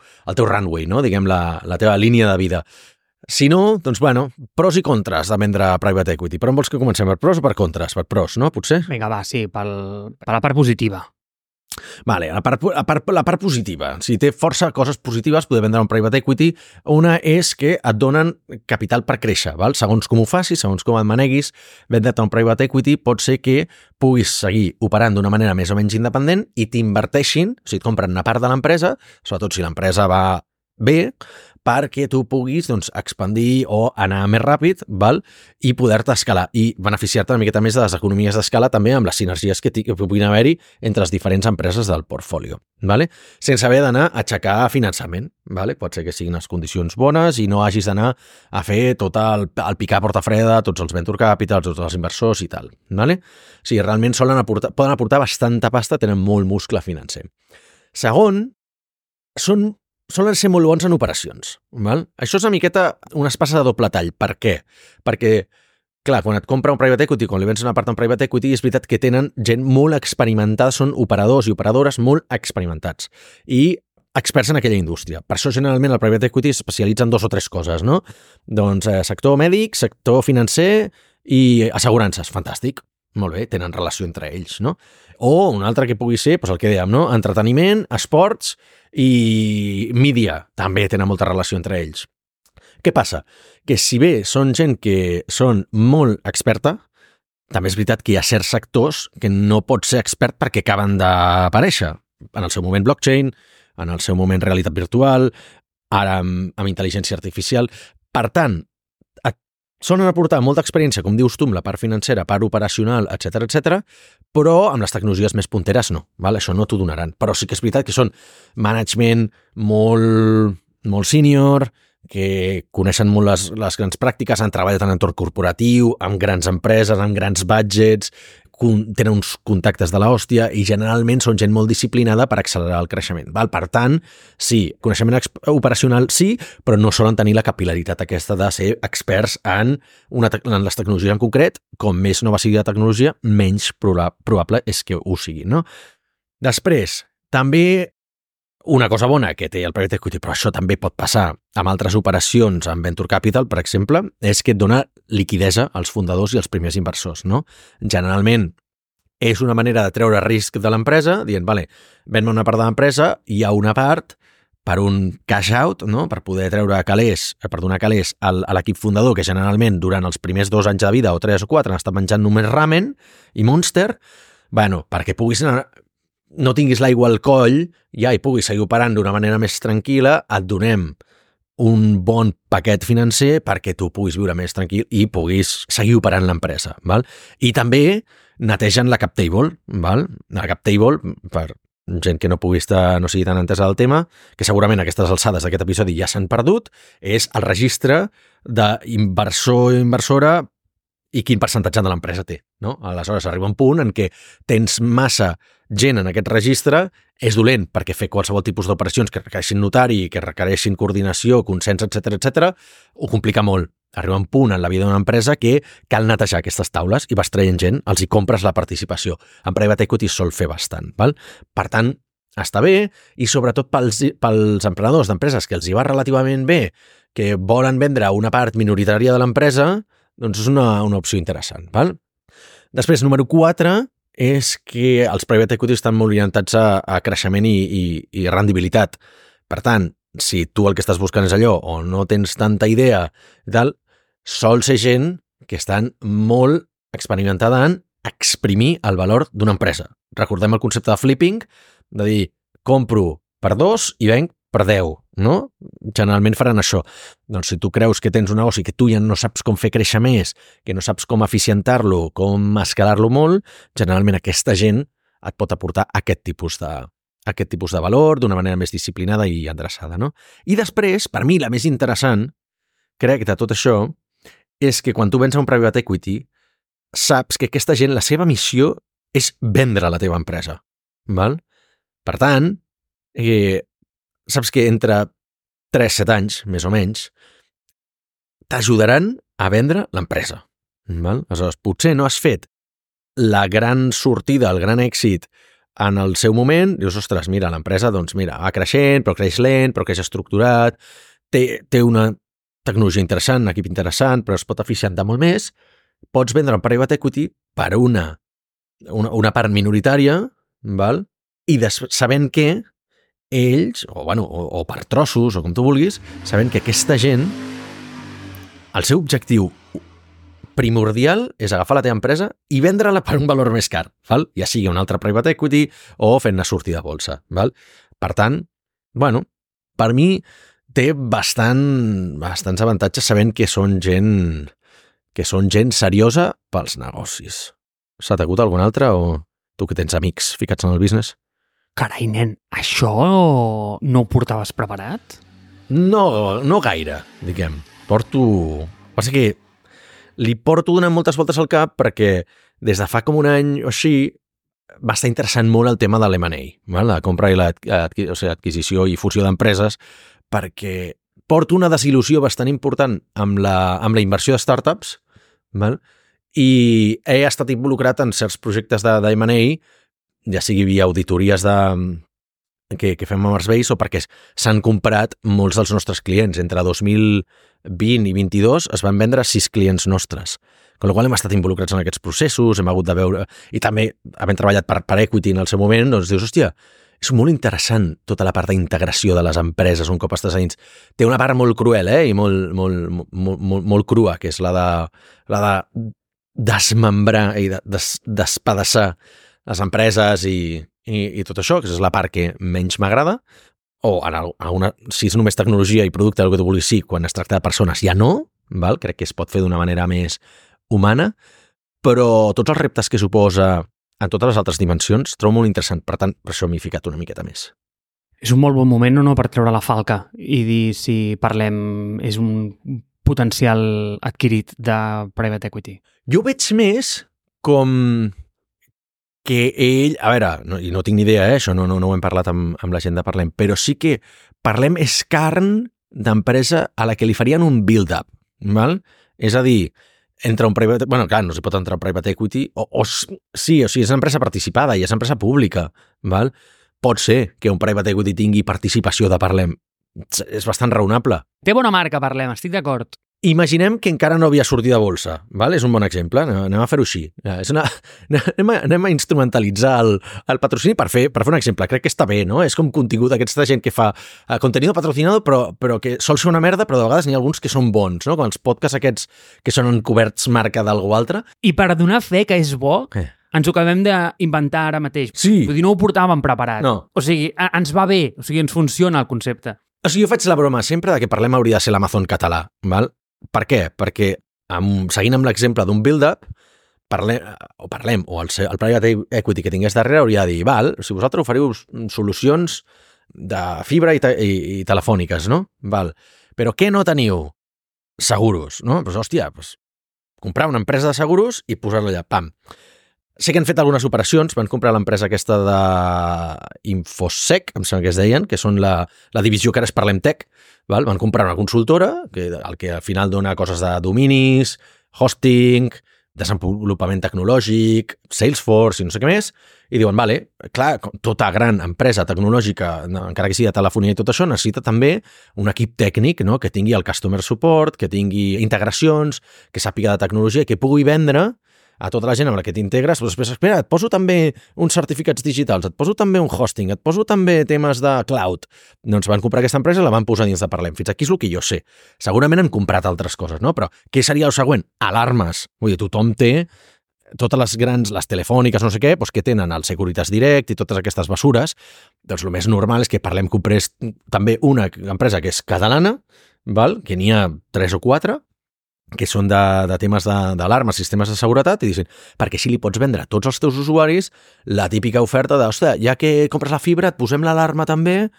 runway, no? Diguem, la teva línia de vida. Si no, doncs, bueno, pros i contres de vendre private equity. Però on vols que comencem? Per pros o per contres? Per pros, no? Potser? Vinga, va, sí, per la part positiva. Vale, la part positiva. Si té força coses positives, poder vendre un private equity. Una és que et donen capital per créixer, val? Segons com ho facis, segons com et maneguis, vendre't un private equity pot ser que puguis seguir operant d'una manera més o menys independent i t'inverteixin, o sigui, et compren una part de l'empresa, sobretot si l'empresa va bé, perquè tu puguis expandir o anar més ràpid, val? I poder-te escalar i beneficiar-te una miqueta més de les economies d'escala també amb les sinergies que puguin haver-hi entre les diferents empreses del portfolio, vale? Sense haver d'anar a aixecar finançament. Vale? Pot ser que siguin les condicions bones i no hagis d'anar a fer tot el picar porta freda, tots els venture capital, tots els inversors i tal. Vale? O sigui, realment poden aportar bastanta pasta, tenen molt muscle financer. Segon, solen ser molt bons en operacions. Val? Això és una miqueta una espasa de doble tall. Per què? Perquè, clar, quan et compra un private equity, quan li vens una part d'un private equity, és veritat que tenen gent molt experimentada, són operadors i operadores molt experimentats i experts en aquella indústria. Per això, generalment, el private equity s'especialitza en 2 o 3 coses, no? Doncs sector mèdic, sector financer i assegurances. Fantàstic. Molt bé, tenen relació entre ells, no? O un altre que pugui ser, doncs el que dèiem, no? Entreteniment, esports i mídia. També tenen molta relació entre ells. Què passa? Que si bé són gent que són molt experta, també és veritat que hi ha certs sectors que no pot ser expert perquè acaben d'aparèixer. En el seu moment blockchain, en el seu moment realitat virtual, ara amb intel·ligència artificial. Per tant, solen aportar molta experiència, com dius tu, amb la part financera, part operacional, etc, però amb les tecnologies més punteres no. Val? Això no t'ho donaran. Però sí que és veritat que són management molt senior, que coneixen molt les grans pràctiques, han treballat en entorn corporatiu, amb grans empreses, amb grans budgets, tenen uns contactes de l'hòstia i generalment són gent molt disciplinada per accelerar el creixement. Val? Per tant, sí, coneixement operacional sí, però no solen tenir la capilaritat aquesta de ser experts en les tecnologies en concret. Com més nova sigui la tecnologia, menys probable és que ho sigui. No? Després, també una cosa bona que té el private equity, però això també pot passar amb altres operacions amb venture capital, per exemple, és que et dona liquidesa als fundadors i als primers inversors. No? Generalment és una manera de treure risc de l'empresa, dient, vale, ven-me una part de l'empresa, hi ha una part per un cash out, no? Per poder treure calés, per donar calés a l'equip fundador, que generalment durant els primers 2 anys de vida o 3 o 4 han estat menjant només ramen i Monster, bueno, perquè puguis anar, no tinguis l'aigua al coll ja i puguis seguir operant d'una manera més tranquil·la, et donem un bon paquet financer perquè tu puguis viure més tranquil i puguis seguir operant l'empresa. Val? I també netegen la cap table. Val? La cap table, per gent que no pugui estar, no sigui tan entesa del tema, que segurament a aquestes alçades d'aquest episodi ja s'han perdut, és el registre d'inversor i inversora i quin percentatge de l'empresa té. No? Aleshores arriba un punt en què tens massa gent en aquest registre, és dolent perquè fer qualsevol tipus d'operacions que requereixin notari, que requereixin coordinació, consens, etc, ho complica molt. Arriba un punt en la vida d'una empresa que cal netejar aquestes taules i vas traient gent, els hi compres la participació. En private equity sol fer bastant. Val? Per tant, està bé, i sobretot pels emprenedors d'empreses que els hi va relativament bé, que volen vendre una part minoritària de l'empresa, doncs és una opció interessant. Val? Després, número 4, és que els private equity estan molt orientats a creixement i rendibilitat. Per tant, si tu el que estàs buscant és allò o no tens tanta idea i tal, sol ser gent que estan molt experimentada en exprimir el valor d'una empresa. Recordem el concepte de flipping, de dir, compro per 2 i venc per 10, no? Generalment faran això. Doncs si tu creus que tens un negoci que tu ja no saps com fer créixer més, que no saps com eficientar-lo, com escalar-lo molt, generalment aquesta gent et pot aportar aquest tipus de valor d'una manera més disciplinada i endreçada, no? I després, per mi, la més interessant, crec, de tot això, és que quan tu vens a un private equity, saps que aquesta gent, la seva missió és vendre la teva empresa. Val? Per tant, saps que entre 3-7 anys, més o menys, t'ajudaran a vendre l'empresa. Val? Aleshores, potser no has fet la gran sortida, el gran èxit en el seu moment, dius, ostres, mira, l'empresa, doncs mira, va creixent, però creix lent, però creix estructurat, té una tecnologia interessant, un equip interessant, però es pot eficientar molt més, pots vendre un private equity per una part minoritària, val? I sabent que ells, o per trossos, o com tu vulguis, sabent que aquesta gent, el seu objectiu primordial és agafar la teva empresa i vendre-la per un valor més car, val? Ja sigui un altre private equity o fent-ne sortir de bolsa. Val? Per tant, per mi té bastants avantatges sabent que són gent seriosa pels negocis. S'ha t'acut algun altre o tu que tens amics ficats en el business? Carai, nen, això no ho portaves preparat? No gaire, diguem. Passa que li porto donant moltes voltes al cap perquè des de fa com un any o així va estar interessant molt el tema de l'M&A, la compra i l'adquisició i fusió d'empreses, perquè porto una desil·lusió bastant important amb la inversió de startups, val? I he estat involucrat en certs projectes d'M&A, ja sigui via auditories que fem a Marsbase o perquè s'han comprat molts dels nostres clients. Entre 2020 i 2022 es van vendre 6 clients nostres. Amb la qual hem estat involucrats en aquests processos, hem hagut de veure... I també, havent treballat per equity en el seu moment, doncs dius, hòstia, és molt interessant tota la part d'integració de les empreses un cop estàs a dins. Té una part molt cruel, i molt crua, que és la de desmembrar i despedaçar les empreses i tot això, que és la part que menys m'agrada, o si és només tecnologia i producte, el que tu vulguis, sí, quan es tracta de persones ja no, val? Crec que es pot fer d'una manera més humana, però tots els reptes que suposa en totes les altres dimensions trobo molt interessant, per tant, per això m'hi he ficat una miqueta més. És un molt bon moment o no per treure la falca i dir si Parlem és un potencial adquirit de private equity. Jo ho veig més com que ell... A veure, i no tinc ni idea, això no ho hem parlat amb la gent de Parlem, però sí que Parlem és carn d'empresa a la que li farien un build-up, val? És a dir, entre un private... Bueno, clar, no s'hi pot entrar un private equity, sí, o sigui, és una empresa participada i és una empresa pública, val? Pot ser que un private equity tingui participació de Parlem. És bastant raonable. Té bona marca, Parlem, estic d'acord. Imaginem que encara no havia sortit de bolsa, val? És un bon exemple, anem a fer-ho així. Anem a instrumentalitzar el patrocini per fer un exemple. Crec que està bé, no? És com contingut d'aquesta gent que fa contenido patrocinado, però que sol ser una merda, però de vegades n'hi ha alguns que són bons, no? Com els podcasts aquests que són encoberts marca d'algú altre. I per donar fe que és bo, ens ho acabem d'inventar ara mateix. Sí. Vull dir, no ho portàvem preparat. No. O sigui, ens va bé, o sigui, ens funciona el concepte. O sigui, jo faig la broma sempre de que Parlem hauria de ser l'Amazon català, val? Per què? Perquè, seguint amb l'exemple d'un build-up, Parlem, o el private equity que tingués darrere hauria de dir, val, si vosaltres oferiu solucions de fibra i telefòniques, no? Val. Però què no teniu? Seguros, no? Pues, hòstia, comprar una empresa de seguros i posar-la allà, pam. Sé que han fet algunes operacions, van comprar l'empresa aquesta d'Infosec, em sembla que es deien, que són la divisió que ara és Parlem Tech, val? Van comprar una consultora, el que al final dona coses de dominis, hosting, desenvolupament tecnològic, Salesforce i no sé què més, i diuen, vale, clar, tota gran empresa tecnològica, encara que sigui de telefonia i tot això, necessita també un equip tècnic, no? Que tingui el customer support, que tingui integracions, que sàpiga de tecnologia, que pugui vendre a tota la gent amb la que t'integres, però després, espera, et poso també uns certificats digitals, et poso també un hosting, et poso també temes de cloud. Doncs van comprar aquesta empresa i la van posar dins de Parlem. Fins aquí és el que jo sé. Segurament han comprat altres coses, no? Però què seria el següent? Alarmes. Vull dir, tothom té totes les grans, les telefòniques, no sé què, doncs que tenen el Securitas Direct i totes aquestes mesures. Doncs el més normal és que Parlem comprés també una empresa que és catalana, val? Que n'hi ha 3 o 4, que són de temes d'alarmes, sistemes de seguretat, i dicen, perquè així li pots vendre a tots els teus usuaris la típica oferta de, ostres, ja que compres la fibra, et posem l'alarma també,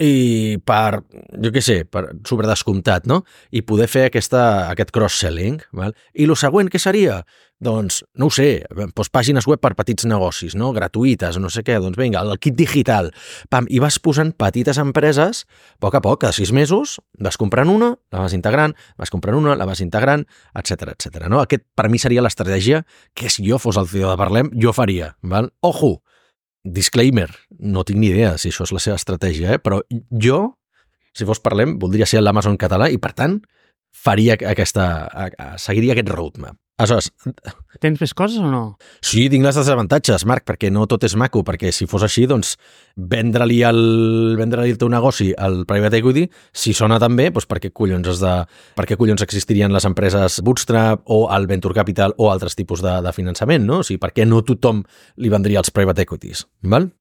i per, jo què sé, per sobredescomptat, no? I poder fer aquest cross-selling, val? I el següent què seria? Doncs, no ho sé, doncs pàgines web per petits negocis, no? Gratuïtes, no sé què, doncs vinga, el kit digital, pam, i vas posant petites empreses, a poc, cada 6 mesos, vas comprant una, la vas integrant, vas comprant una, la vas integrant, etc etc. No? Aquest, per mi, seria l'estratègia que si jo fos el CEO de Parlem, jo faria, val? Ojo! Disclaimer, no tinc ni idea si això és la seva estratègia, però jo, si fos Parlem, voldria ser l'Amazon català i, per tant, faria seguiria aquest roadmap. Aleshores... Tens més coses o no? Sí, tinc les desavantatges, Marc, perquè no tot és maco, perquè si fos així, doncs, vendre-li el teu negoci al private equity, si sona tan bé, doncs per què collons existirien les empreses Bootstrap o el Venture Capital o altres tipus de finançament, no? O sigui, per què no tothom li vendria els private equities, val?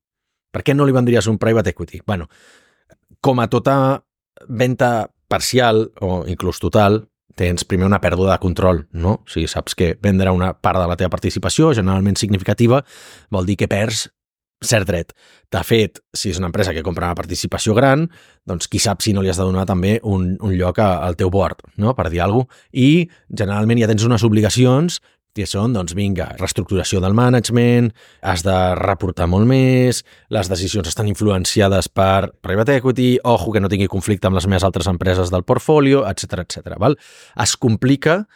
Per què no li vendries un private equity? Bueno, com a tota venda parcial o inclús total, tens primer una pèrdua de control, no? O sigui, saps que vendre una part de la teva participació, generalment significativa, vol dir que perds cert dret. De fet, si és una empresa que compra una participació gran, doncs qui sap si no li has de donar també un lloc al teu board, no? Per dir alguna cosa. I generalment ja tens unes obligacions que són, doncs vinga, reestructuració del management, has de reportar molt més, les decisions estan influenciades per private equity, ojo que no tingui conflicte amb les meves altres empreses del portfolio, etc etc. Val? Es complica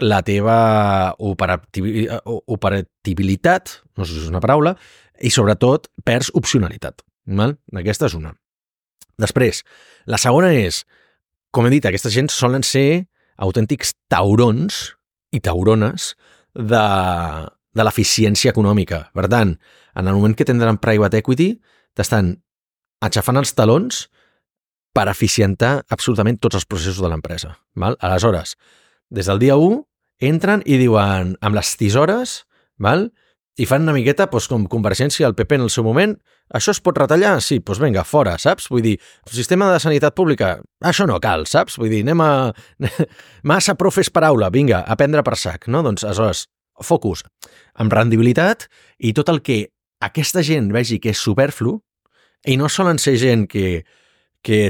la teva operatibilitat, no sé si és una paraula, i sobretot perds opcionalitat. Val? Aquesta és una. Després, la segona és, com he dit, aquesta gent solen ser autèntics taurons i taurones de l'eficiència econòmica. Per tant, en el moment que tindran private equity, t'estan aixafant els talons per eficientar absolutament tots els processos de l'empresa. Val? Aleshores, des del dia 1, entren i diuen amb les tisores, val? I fan una miqueta doncs, com Convergència al PP en el seu moment, això es pot retallar? Sí, doncs vinga, fora, saps? Vull dir, el sistema de sanitat pública, això no cal, saps? Vull dir, anem a... Massa profes per aula, vinga, a prendre per sac, no? Doncs, aleshores, focus amb rendibilitat i tot el que aquesta gent vegi que és superflu, I no solen ser gent que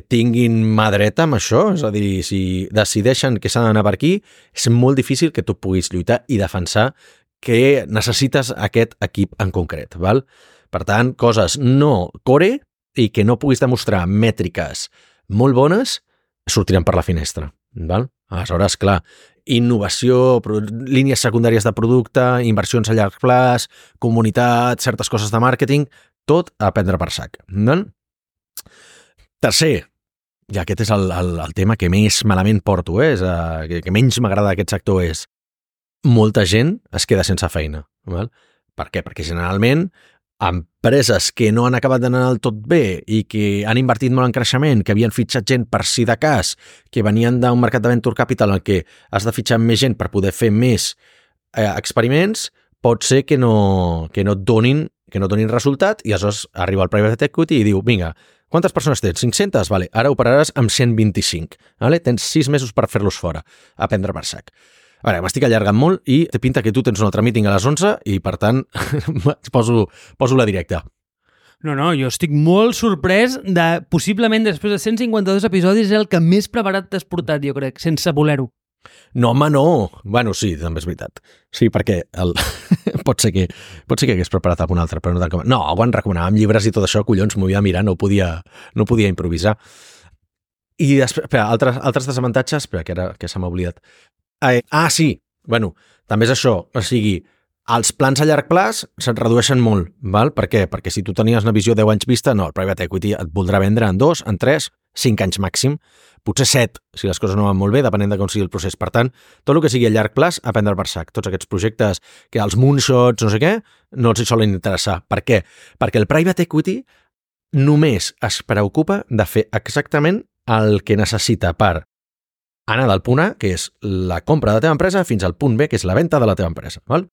tinguin mà dreta amb això, és a dir, si decideixen que s'ha d'anar per aquí, és molt difícil que tu puguis lluitar i defensar que necessites aquest equip en concret, val? Per tant, coses no core i que no puguis demostrar mètriques molt bones sortiran per la finestra, val? Aleshores, clar, innovació, línies secundàries de producte, inversions a llarg plaç, comunitat, certes coses de màrqueting, tot a prendre per sac, val? Tercer, i aquest és el tema que més malament porto, que menys m'agrada d'aquest sector, és molta gent es queda sense feina. Val? Per què? Perquè generalment empreses que no han acabat d'anar del tot bé i que han invertit molt en creixement, que havien fitxat gent per si de cas, que venien d'un mercat de venture capital en què has de fitxar més gent per poder fer més experiments, pot ser que no et donin resultat i aleshores arriba el private equity i diu, vinga, quantes persones tens? 500? Vale, ara operaràs amb 125. Vale? Tens 6 mesos per fer-los fora, a prendre per sac. A veure, m'estic allargant molt i té pinta que tu tens un altre meeting a les 11 i, per tant, poso la directa. No, jo estic molt sorprès de, possiblement, després de 152 episodis, és el que més preparat t'has portat, jo crec, sense voler-ho. No, home, no. Bueno, sí, també és veritat. Sí, perquè pot ser que hagués preparat algun altre, però no tant com... No, quan recomanàvem llibres i tot això, collons, m'ho havia de mirar, no podia improvisar. I després, espera, altres desavantatges, espera, que se m'ha oblidat. Sí, bueno, també és això, o sigui, els plans a llarg plaç se't redueixen molt, val? Per què? Perquè si tu tenies una visió 10 anys vista, no, el private equity et voldrà vendre en 2, en 3, 5 anys màxim, potser 7, si les coses no van molt bé, depenent de com sigui el procés. Per tant, tot el que sigui a llarg plaç, a prendre per sac. Tots aquests projectes, que els moonshots, no sé què, no els hi solen interessar. Per què? Perquè el private equity només es preocupa de fer exactament el que necessita per anar del punt A, que és la compra de la teva empresa, fins al punt B, que és la venda de la teva empresa. Val?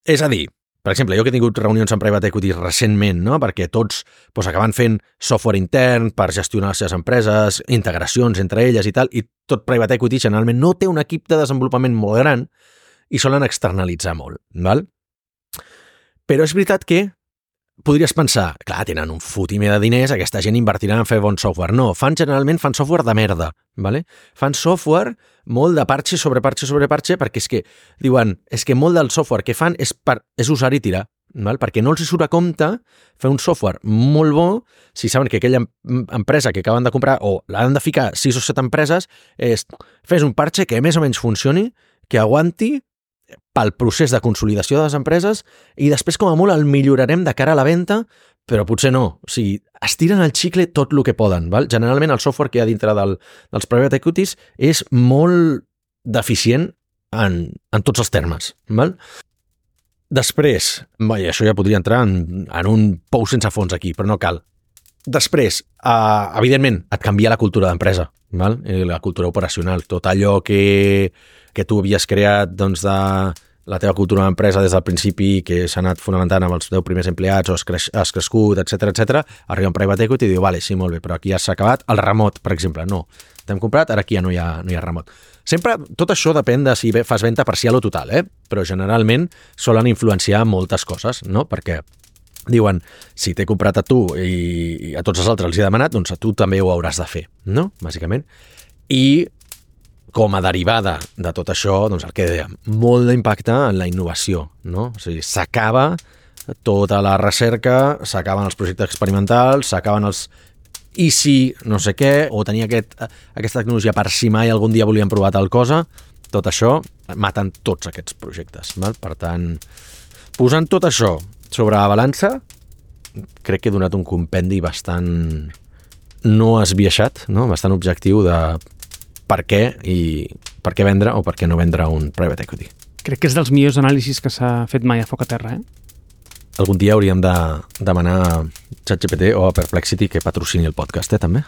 És a dir, per exemple, jo que he tingut reunions amb private equity recentment, no? Perquè tots acaben fent software intern per gestionar les seves empreses, integracions entre elles i tal, i tot private equity generalment no té un equip de desenvolupament molt gran i solen externalitzar molt. Val? Però és veritat que podries pensar, clar, tenen un fotimer de diners, aquesta gent invertirà en fer bon software. No, generalment fan software de merda, ¿vale? Fan software molt de parche sobre parche, perquè és que, diuen, és que molt del software que fan és usar i tirar, ¿vale? Perquè no els surt a compte fer un software molt bo si saben que aquella empresa que acaben de comprar o l'han de ficar 6 o 7 empreses, fes un parche que més o menys funcioni, que aguanti pel procés de consolidació de les empreses i després com a molt el millorarem de cara a la venda, però potser no. O sigui, estiren el xicle tot el que poden. Val? Generalment el software que hi ha dintre dels private equities és molt deficient en tots els termes. Val? Després, això ja podria entrar en un pou sense fons aquí, però no cal. Després, evidentment, et canvia la cultura d'empresa, val? La cultura operacional, tot allò que tu havies creat doncs, de la teva cultura d'empresa des del principi, que s'ha anat fonamentant amb els 10 primers empleats o has crescut, etc. Arriba un private equity i diu, vale, sí, molt bé, però aquí ja s'ha acabat. El remot, per exemple, no. T'hem comprat, ara aquí ja no hi ha remot. Sempre, tot això depèn de si fas venda parcial o total, però generalment solen influenciar moltes coses, no? Perquè diuen, si t'he comprat a tu i a tots els altres els he demanat, doncs a tu també ho hauràs de fer, no? Bàsicament. I com a derivada de tot això, doncs el que dèiem, molt d'impacte en la innovació, no? O sigui, s'acaba tota la recerca, s'acaben els projectes experimentals, s'acaben els i si no sé què, o tenir aquesta tecnologia per si mai algun dia volien provar tal cosa, tot això maten tots aquests projectes, val? Per tant, posant tot això sobre la balança, crec que he donat un compendi bastant no esbiaixat, no? Bastant objectiu de per què vendre o per què no vendre un private equity. Crec que és dels millors anàlisis que s'ha fet mai a Foc a Terra, Algun dia hauríem de demanar a ChatGPT o a Perplexity que patrocini el podcast, també.